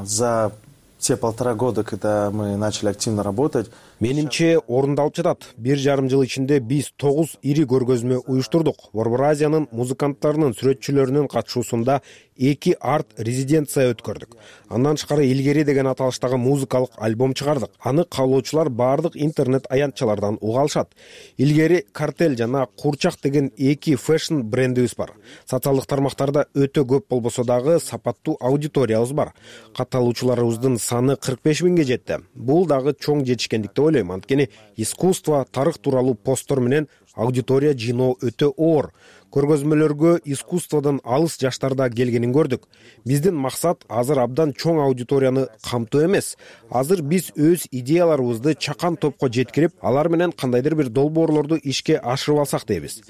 За те полтора года, когда мы начали активно работать, менимче орундалып жатат. Бир жарым жыл ичинде биз тогуз ири көргөзмө уюштурдук. Борбор Азиянын музыканттарынын, сүрөтчүлөрүнүн катышуусунда эки арт резиденция өткөрдүк. Андан тышкары Илгери деген аталыштагы музыкалык альбом чыгардык. Аны каалоочулар баардык интернет аянтчалардан уга алышат. Илгери Картель жана Курчак деген эки фэшн брендибиз бар. Социалдык тармактарда өтө көп болбосо дагы сапаттуу аудиториябыз бар. Катталуучуларыбыздын саны кырк беш миңге жетти. Бул дагы чоң жетишкендик деп ойлойм. Анткени искусство, тарых тууралуу посттор менен аудитория жыйноо өтө оор. Көргөзмөлөргө искусстводон алыс жаштарда келгенин көрдүк. Биздин максат азыр абдан чоң аудиторияны камтоо эмес. Азыр биз өз идеяларыбызды чакан топко жеткирип, алар менен кандайдыр бир долбоорлорду ишке ашырып алсак дейбиз.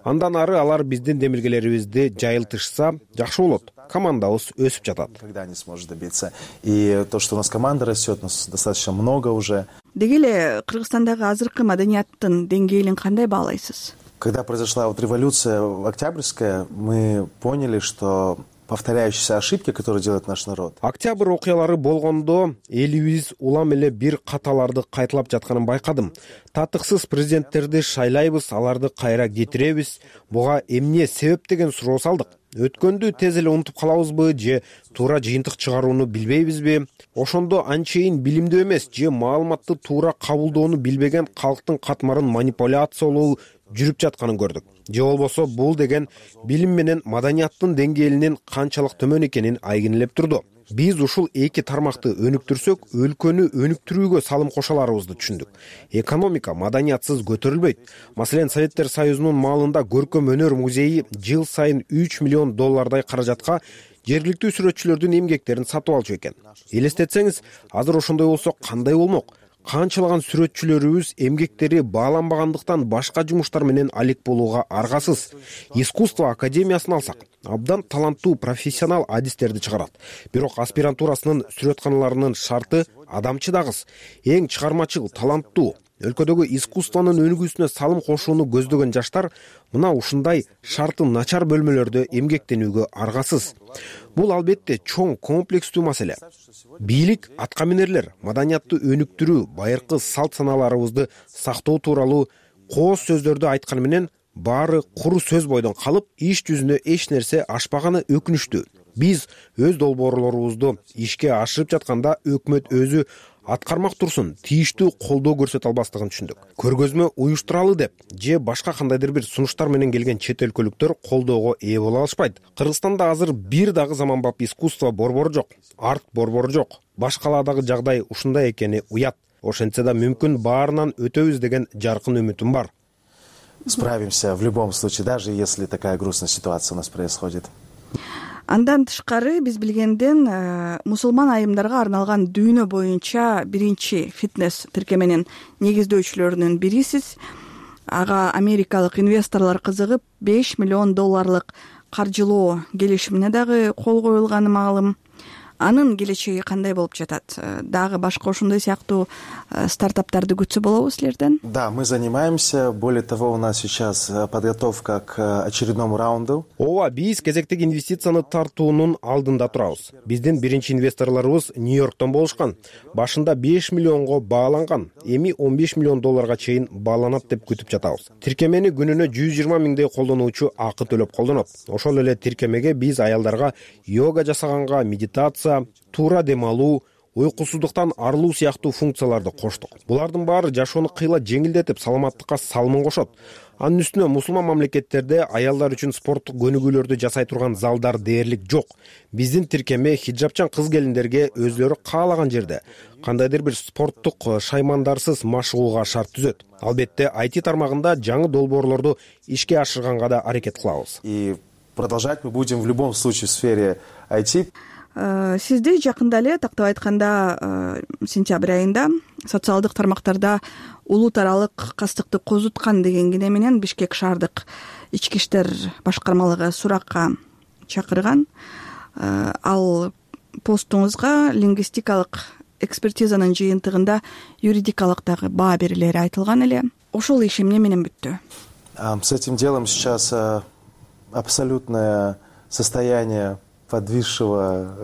Андан ары алар биздин демилгелерибизди жайылтышса жакшы болот. Командабыз өсүп жатат. Когда не сможет добиться. И то, что у нас команда растет, у нас достаточно много уже. Деги эле Кыргызстандагы азыркы маданияттын деңгээлин кандай баалайсыз? Когда произошла вот революция Октябрьская, мы поняли, что повторяющиеся ошибки, которые делает наш народ. Октябрь окуялары болгондо элибиз улам эле бир каталарды кайталап жатканын байкадым. Татыксыз президенттерди шайлайбыз, аларды кайра кетиребиз. Буга эмне себеп деген суроо салдык. Өткөндү тез эле унутуп калабызбы же туура жыйынтык чыгарууну билбейбизби? Ошондо анчейин билимдүү эмес же маалыматты туура кабылдоону билбеген калктын катмарын манипуляциялоо жүрүп жатканын көрдүк. Же болбосо бул деген билим менен маданияттын деңгээлинин канчалык төмөн экенин айгинелеп турду. Биз ушул эки тармакты өнүктүрсөк, өлкөнү өнүктүрүүгө салым кошо аларыбызды түшүндүк. Экономика маданиятсыз көтөрүлбөйт. Маселен, Советтер Союзунун маалында көркөм өнөр музейи жыл сайын үч миллион доллардай каражатка жергиликтүү сүрөтчүлөрдүн эмгектерин сатып алчу экен. Элестетсеңиз, азыр ошондой болсо кандай болмок? Канчалаган сүрөтчүлөрүбүз эмгектери бааланбагандыктан башка жумуштар менен алек болууга аргасыз. Искусство академиясын алсак, абдан таланттуу профессионал адистерди чыгарат. Бирок аспирантурасынын сүрөтканаларынын шарты адамчыдагыс, эң чыгармачыл, таланттуу. Өлкөдөгү искусствонун өнүгүүсүнө салым кошууну көздөгөн жаштар мына ушундай шарты начар бөлмөлөрдө эмгектенүүгө аргасыз. Бул албетте чоң комплекстүү маселе. Бийлик, аткаминерлер маданиятты өнүктүрүү, байыркы салт саналарыбызды сактоо тууралуу кооз сөздөрдү айтканы менен баары куру сөз бойдон калып, иш жүзүнө эч нерсе ашпаганы өкүнүчтүү. Биз өз долбоорлорубузду ишке ашырып жатканда өкмөт өзү аткармак турсун тийиштүү колдоо көрсөтө албастыгын түшүндүк. Көргөзмө уюштуралы деп же башка кандайдыр бир сунуштар менен келген чет өлкөлүктөр колдоого ээ боло алышпайт. Кыргызстанда азыр бир дагы заманбап искусство борбору жок, арт борбору жок. Баш калаадагы жагдай ушундай экени уят. Ошентсе да мүмкүн баарынан өтөбүз деген жаркын үмүтүм бар. Справимся в любом случае, даже если такая грустная ситуация у нас происходит. Андан тышкары биз билгенден мусулман айымдарга арналган дүйнө боюнча биринчи фитнес тиркеменин негиздөөчүлөрүнүн бирисиз. Ага америкалык инвесторлор кызыгып беш миллион долларлык каржылоо келишимине дагы кол коюлганы маалым. Анын келечеги кандай болуп жатат? Дагы башка ошондой сыяктуу стартаптарды күтсө болобу силерден? Да, мы занимаемся. Более того, у нас сейчас подготовка к очередному раунду. Ооба, биз кезектеги инвестицияны тартуунун алдында турабыз. Биздин биринчи инвесторлорубуз Нью-Йорктон болушкан. Башында беш миллионго бааланган, эми он беш миллион долларга чейин бааланат деп күтүп жатабыз. Тиркемени күнүнө жүз жыйырма миңдей колдонуучу акы төлөп колдонот. Ошол эле тиркемеге биз аялдарга йога жасаганга, медитация, туура дем алуу, уйкусуздуктан арылуу сыяктуу функцияларды коштук. Булардын баары жашоону кыйла жеңилдетип, саламаттыкка салымын кошот. Анын үстүнө мусулман мамлекеттерде аялдар үчүн спорттук көнүгүүлөрдү жасай турган залдар дээрлик жок. Биздин тиркеме хиджабчан кыз-келиндерге өзлөрү каалаган жерде кандайдыр бир спорттук шаймандарсыз машыгууга шарт түзөт. Албетте ай ти тармагында жаңы долбоорлорду ишке ашырганга да аракет кылабыз. И продолжать мы будем в любом случае в сфере ай ти. Сизди жакында эле, тактап айтканда, сентябрь айында социалдык тармактарда улут аралык кастыкты козуткан деген кине менен Бишкек шаардык ички иштер башкармалыгы суракка чакырган. Ал постуңузга лингвистикалык экспертизанын жыйынтыгында юридикалык дагы баа берилери айтылган эле. Ошол иш эмне менен бүттү? С этим делом сейчас абсолютное состояние подвисшего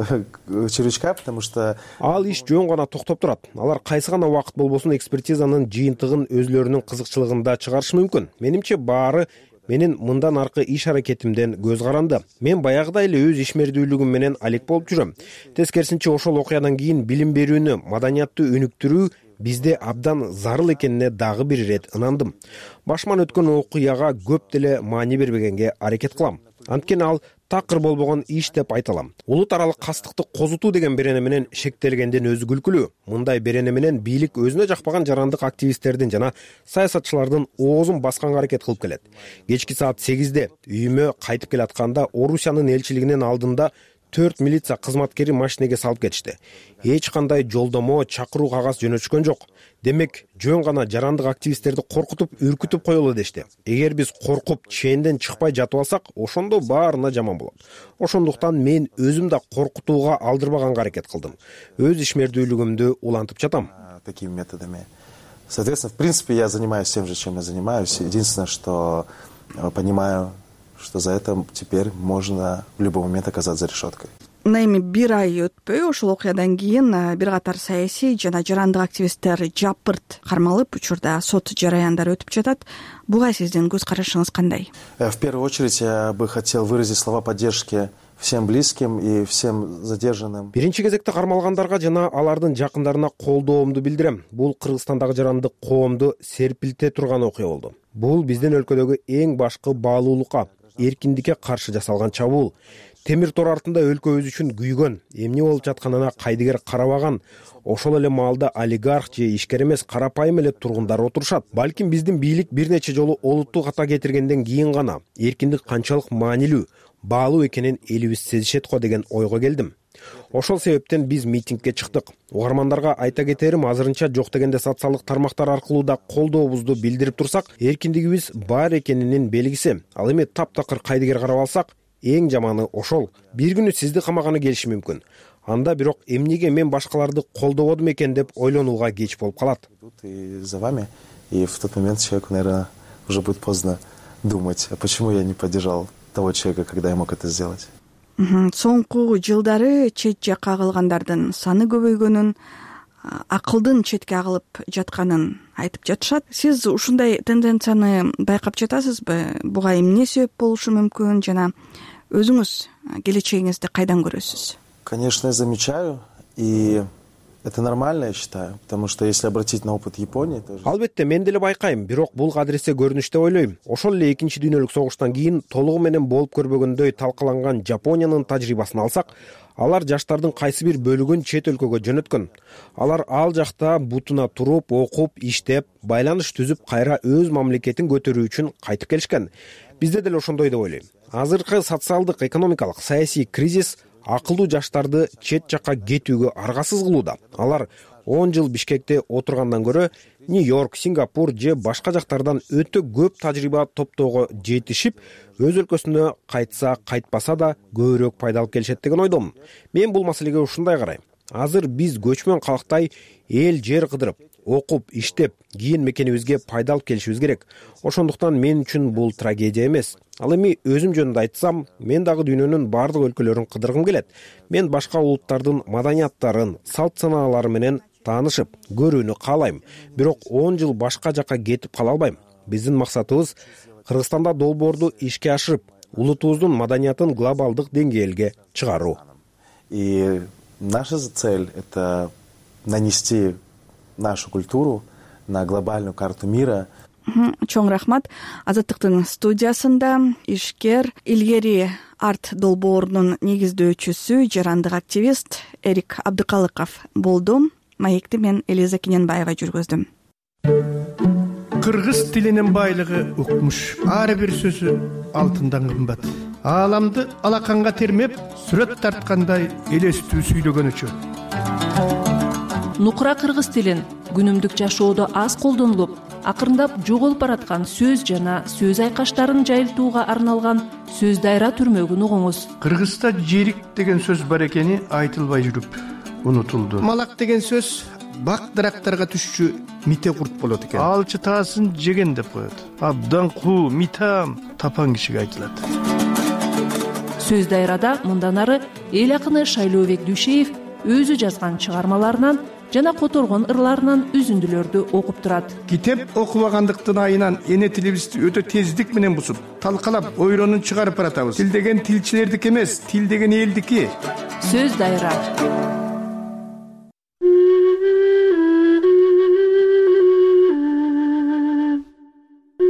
червячка, потому что ал иш жөн гана токтоп турат. Алар кайсы гана убакыт болбосун экспертизанын жыйынтыгын өзлөрүнүн кызыкчылыгында чыгарышы мүмкүн. Менимче баары менин мындан аркы иш аракетимден көз каранды. Мен баягыдай эле өз ишмердүүлүгүм менен алек болуп жүрөм. Тескерисинче ошол окуядан кийин билим берүүнү, маданиятты өнүктүрүү бизде абдан зарыл экенине дагы бир ирет ынандым. Башыман өткөн окуяга көп деле маани бербегенге аракет кылам. Анткени ал такыр болбогон иш деп айта алам. Улут аралык кастыкты козутуу деген берене менен шектелгенден өзү күлкүлүү. Мындай берене менен бийлик өзүнө жакпаган жарандык активисттердин жана саясатчылардын оозун басканга аракет кылып келет. Кечки саат сегизде үйүмө кайтып келатканда Орусиянын элчилигинин алдында төрт милиция кызматкери машинеге салып кетишти. Эч кандай жолдомо, чакыруу кагаз жөнөтүшкөн жок. Демек, жөн гана жарандык активисттерди коркутуп, үркүтүп коелу дешти. Эгер биз коркуп, ченден чыкпай жатып алсак, ошондо баарына жаман болот. Ошондуктан мен өзүм да коркутууга алдырбаганга аракет кылдым. Өз ишмердүүлүгүмдү улантып жатам. Такими методами. Соответственно, в принципе, я занимаюсь тем же, чем я занимаюсь. Единственное, что понимаю, что за это теперь можно в любой момент оказаться за решеткой. Мына эми бир ай өтпөй ошол окуядан кийин бир катар саясий жана жарандык активисттер жапырт кармалып, учурда сот жараяндары өтүп жатат. Буга сиздин көз карашыңыз кандай? В первую очередь я бы хотел выразить слова поддержки всем близким и всем задержанным. Биринчи кезекте кармалгандарга жана алардын жакындарына колдоомду билдирем. Бул Кыргызстандагы жарандык коомду серпилте турган окуя болду. Бул биздин өлкөдөгү эң башкы баалуулукка, эркиндикке каршы жасалган чабуул. Темир тор артында өлкөбүз үчүн күйгөн, эмне болуп жатканына кайдыгер карабаган, ошол эле маалда олигарх же ишкер эмес карапайым эле тургундар отурушат. Балким биздин бийлик бир нече жолу олуттуу ката кетиргенден кийин гана эркиндик канчалык маанилүү, баалуу экенин элибиз сезишет го деген ойго келдим. Ошол себептен биз митингге чыктык. Угармандарга айта кетерим, азырынча жок дегенде социалдык тармактар аркылуу да колдообузду билдирип турсак, эркиндигибиз бар экенинин белгиси. Ал эми таптакыр кайдыгер карап алсак, эң жаманы ошол. Бир күнү сизди камаганы келиши мүмкүн. Анда бирок эмнеге мен башкаларды колдободум экен деп ойлонууга кеч болуп калат. И за вами, и в тот момент человеку, наверное, уже будет поздно думать, а почему я не поддержал того человека, когда я мог это сделать. Соңку жылдары чет жакка агылгандардын саны көбөйгөнүн, акылдын четке агылып жатканын айтып жатышат. Сиз ушундай тенденцияны байкап жатасызбы? Буга эмне себеп болушу мүмкүн жана өзүңүз келечегиңизди кайдан көрөсүз? Конечно, я замечаю, и это нормально, я считаю, потому что если обратить на опыт Японии, то Албетте, мен деле байкайм, бирок бул кадыресе көрүнүш деп ойлойм. Ошол эле экинчи дүйнөлүк согуштан кийин толугу менен болуп көрбөгөндөй талкаланган Жапониянын тажрыйбасын алсак, алар жаштардын кайсы бир бөлүгүн чет өлкөгө жөнөткөн. Алар ал жакта бутуна туруп, окуп, иштеп, байланыш түзүп, кайра өз мамлекетин көтөрүү үчүн кайтып келишкен. Бизде деле ошондой деп ойлойм. Азыркы социалдык, экономикалык, саясий кризис акылдуу жаштарды чет жакка кетүүгө аргасыз кылууда. Алар он жыл Бишкекте отургандан көрө Нью-Йорк, Сингапур же башка жактардан өтө көп тажрыйба топтоого жетишип, өз өлкөсүнө кайтса, кайтпаса да көбүрөөк пайда алып келишет деген ойдомун. Мен бул маселеге ушундай карайм. Азыр биз көчмөн калктай эл жер кыдырып, окуп, иштеп, кийин мекенибизге пайда алып келишибиз керек. Ошондуктан мен үчүн бул трагедия эмес. Ал эми өзүм жөнүндө айтсам, мен дагы дүйнөнүн бардык өлкөлөрүн кыдыргым келет. Мен башка улуттардын маданияттарын, салт санаалары менен таанышып, көрүүнү каалайм. Бирок он жыл башка жакка кетип кала албайм. Биздин максатыбыз Кыргызстанда долбоорду ишке ашырып, улутубуздун маданиятын глобалдык деңгээлге чыгаруу. И наша цель — это нанести нашу культуру на глобальную карту мира. Чоң рахмат. Азаттыктын студиясында ишкер, илгери арт долбоорунун негиздөөчүсү, жарандык активист Эрик Абдыкалыков болду. Маекти мен Элиза Кененбаева жүргөздүм. Кыргыз тилинин байлыгы укмуш. Ар бир сөзү алтындан кымбат. Ааламды алаканга термеп, сүрөт тарткандай элестүү сүйлөгөнүчө. Нукура кыргыз тилин күнүмдүк жашоодо аз колдонулуп, акырындап жоголуп бараткан сөз жана сөз айкаштарын жайылтууга арналган сөз дайра түрмөгүн угуңуз. Кыргызда жерик деген сөз бар экени айтылбай жүрүп унутулду. Малак деген сөз бак дарактарга түшчү мите курт болот экен. Алчы таасын жеген деп коет. Абдан куу, митам тапан кишиге айтылат. Сөз дайрада мындан ары эл акыны Шайлообек Дүйшеев өзү жазган чыгармаларынан жана которгон ырларынан үзүндүлөрдү окуп турат. Китеп окубагандыктын айынан эне тилибизди өтө тездик менен бузуп, талкалап, ойронун чыгарып баратабыз. Тил деген тилчилердики эмес, тил деген элдики. Сөз дайра.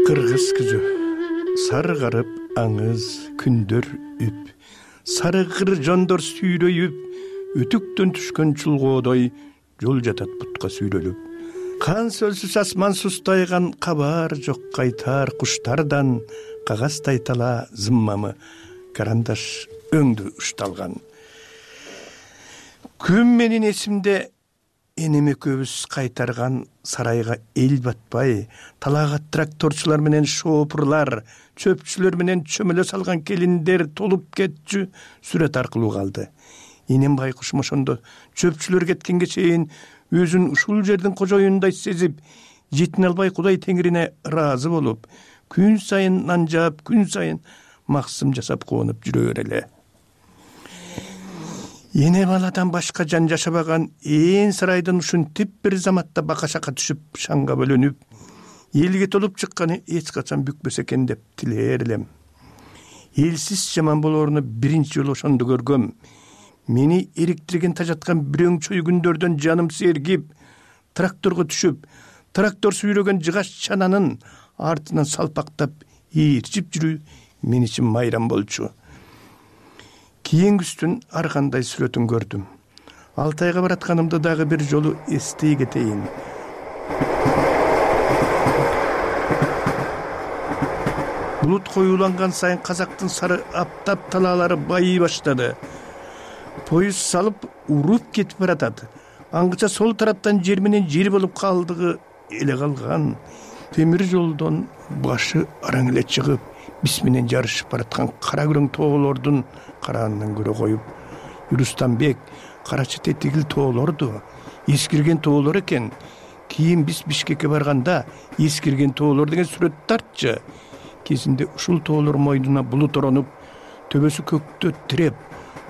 Кыргыз күзү. саргарып аңыз күндөр үп, сарыгыр жондор сүйрөйүп, өтүктөн түшкөн чулгоодой жол жатат бутка сүйрөлүп. Кан сөлсүз асман сустайган, кабар жок кайтар куштардан, кагаздай тала зыммамы карандаш өңдү ушталган. Күн менин эсимде энем экөөбүз кайтарган сарайга эл батпай, талаага тракторчулар менен шоопурлар, чөпчүлөр менен чөмөлө салган келиндер толуп кетчү сүрөт аркылуу калды. Энем байкушум ошондо чөпчүлөр кеткенге чейин өзүн ушул жердин кожоюнундай сезип, жетине албай Кудай Теңирине ыраазы болуп, күн сайын нан жаап, күн сайын максым жасап кубанып жүрө береле. Эне баладан башка жан жашабаган ээн сарайдын ушинтип бир заматта бака-шака түшүп, шаңга бөлөнүп, элге толуп чыкканы эч качан бүкпөс экен деп тилээр элем. Элсиз жаман болооруну биринчи жолу ошондо көргөм. Мени эриктирген тажаткан бирөөң чөй күндөрдөн жаным сергип, тракторго түшүп, трактор сүйрөгөн жыгаш чананын артынан салпактап ээрчип жүрүү мен үчүн майрам болчу. Кийингүстүн ар кандай сүрөтүн көрдүм. Алтайга баратканымды дагы бир жолу эстей кетейин. Булут коюланган сайын казактын сары аптап талаалары байый баштады. Поезд салып уруп кетип баратат. Аңгыча сол тараптан жер менен жер болуп калдыгы эле калган. Темир жолдон башы араң эле чыгып, биз менен жарышып бараткан кара күрөң тоолордун караанынан көрө коюп, Юрустанбек карачы тетигил тоолорду, эскирген тоолор экен. Кийин биз Бишкекке барганда эскирген тоолор деген сүрөт тартчы. Кезинде ушул тоолор мойнуна булут оронуп, төбөсү көктө тиреп,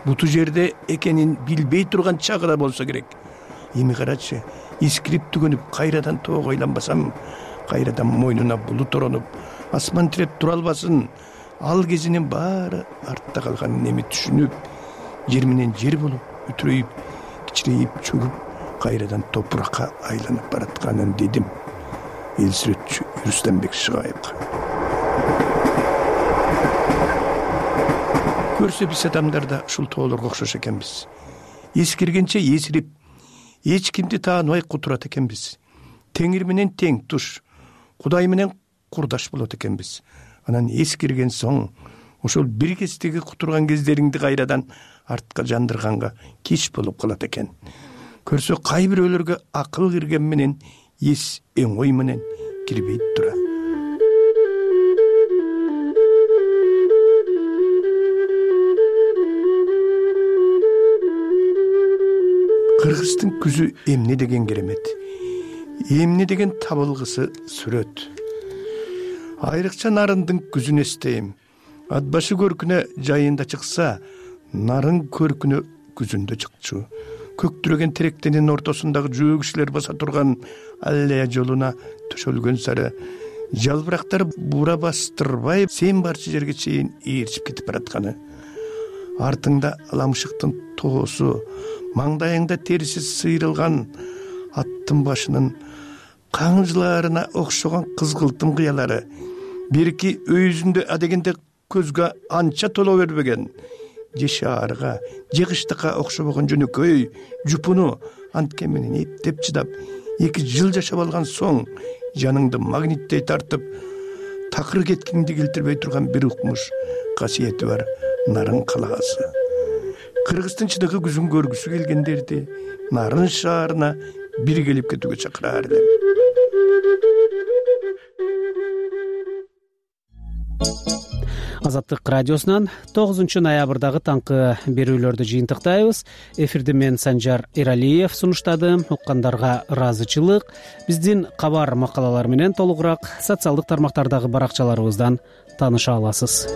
буту жерде экенин билбей турган чагыда болсо керек. Эми карачы, эскирип түгөнүп кайрадан тоого айланбасам, кайрадан мойнуна булут оронуп, асман тиреп тура албасын. Ал кезинин баары артта калганын эми түшүнүп, жер менен жер болуп, үтүрөйүп, кичирейип, чөгүп, кайрадан топуракка айланып баратканын дедим. Эл сүрөтчү Юрустанбек Шыгаевга. Көрсө биз адамдар да ушул тоолорго окшош экенбиз. Эскиргенче эсирип, эч кимди тааныбай кутурат экенбиз. Теңир менен тең туш, Кудай менен курдаш болот экенбиз. Анан эскирген соң, ошол бир кездеги кутурган кездериңди кайрадан артка жандырганга кеч болуп калат экен. Көрсө кай бирөөлөргө акыл кирген менен эс эң ой менен кирбейт тура. Кыргыздын күзү эмне деген керемет. Эмне деген табылгысы сүрөт. Айрыкча нарындын күзүн эстейм. Ат башы көркүнө жайында чыкса, нарын көркүнө күзүндө чыкчу. Көктүрөгөн теректенин ортосундагы жөө кишилер баса турган аллея жолуна төшөлгөн сары жалбырактар бура бастырбай сен барчы жерге чейин ээрчип кетип баратканы. Артыңда аламшыктын тоосу, маңдайыңда териси сыйрылган аттын башынын каңжыларына окшогон кызгылтым кыялары, бирки өйүзүндө адегенде көзгө анча толо бербеген, же шаарга, же кыштыкка окшобогон жөнөкөй жупуну анткен менен эптеп чыдап, эки жыл жашап алган соң жаныңды магниттей тартып, такыр кеткиңди келтирбей турган бир укмуш касиети бар нарын калаасы. Кыргыздын чыныгы күзүн көргүсү келгендерди нарын шаарына бир келип кетүүгө чакыраар элем. Азаттык радиосунан тогузунчу ноябрдагы таңкы берүүлөрдү жыйынтыктайбыз. Эфирди мен Санжар Эралиев сунуштадым. Уккандарга ыраазычылык. Биздин кабар макалалар менен толугураак социалдык тармактардагы баракчаларыбыздан тааныша аласыз.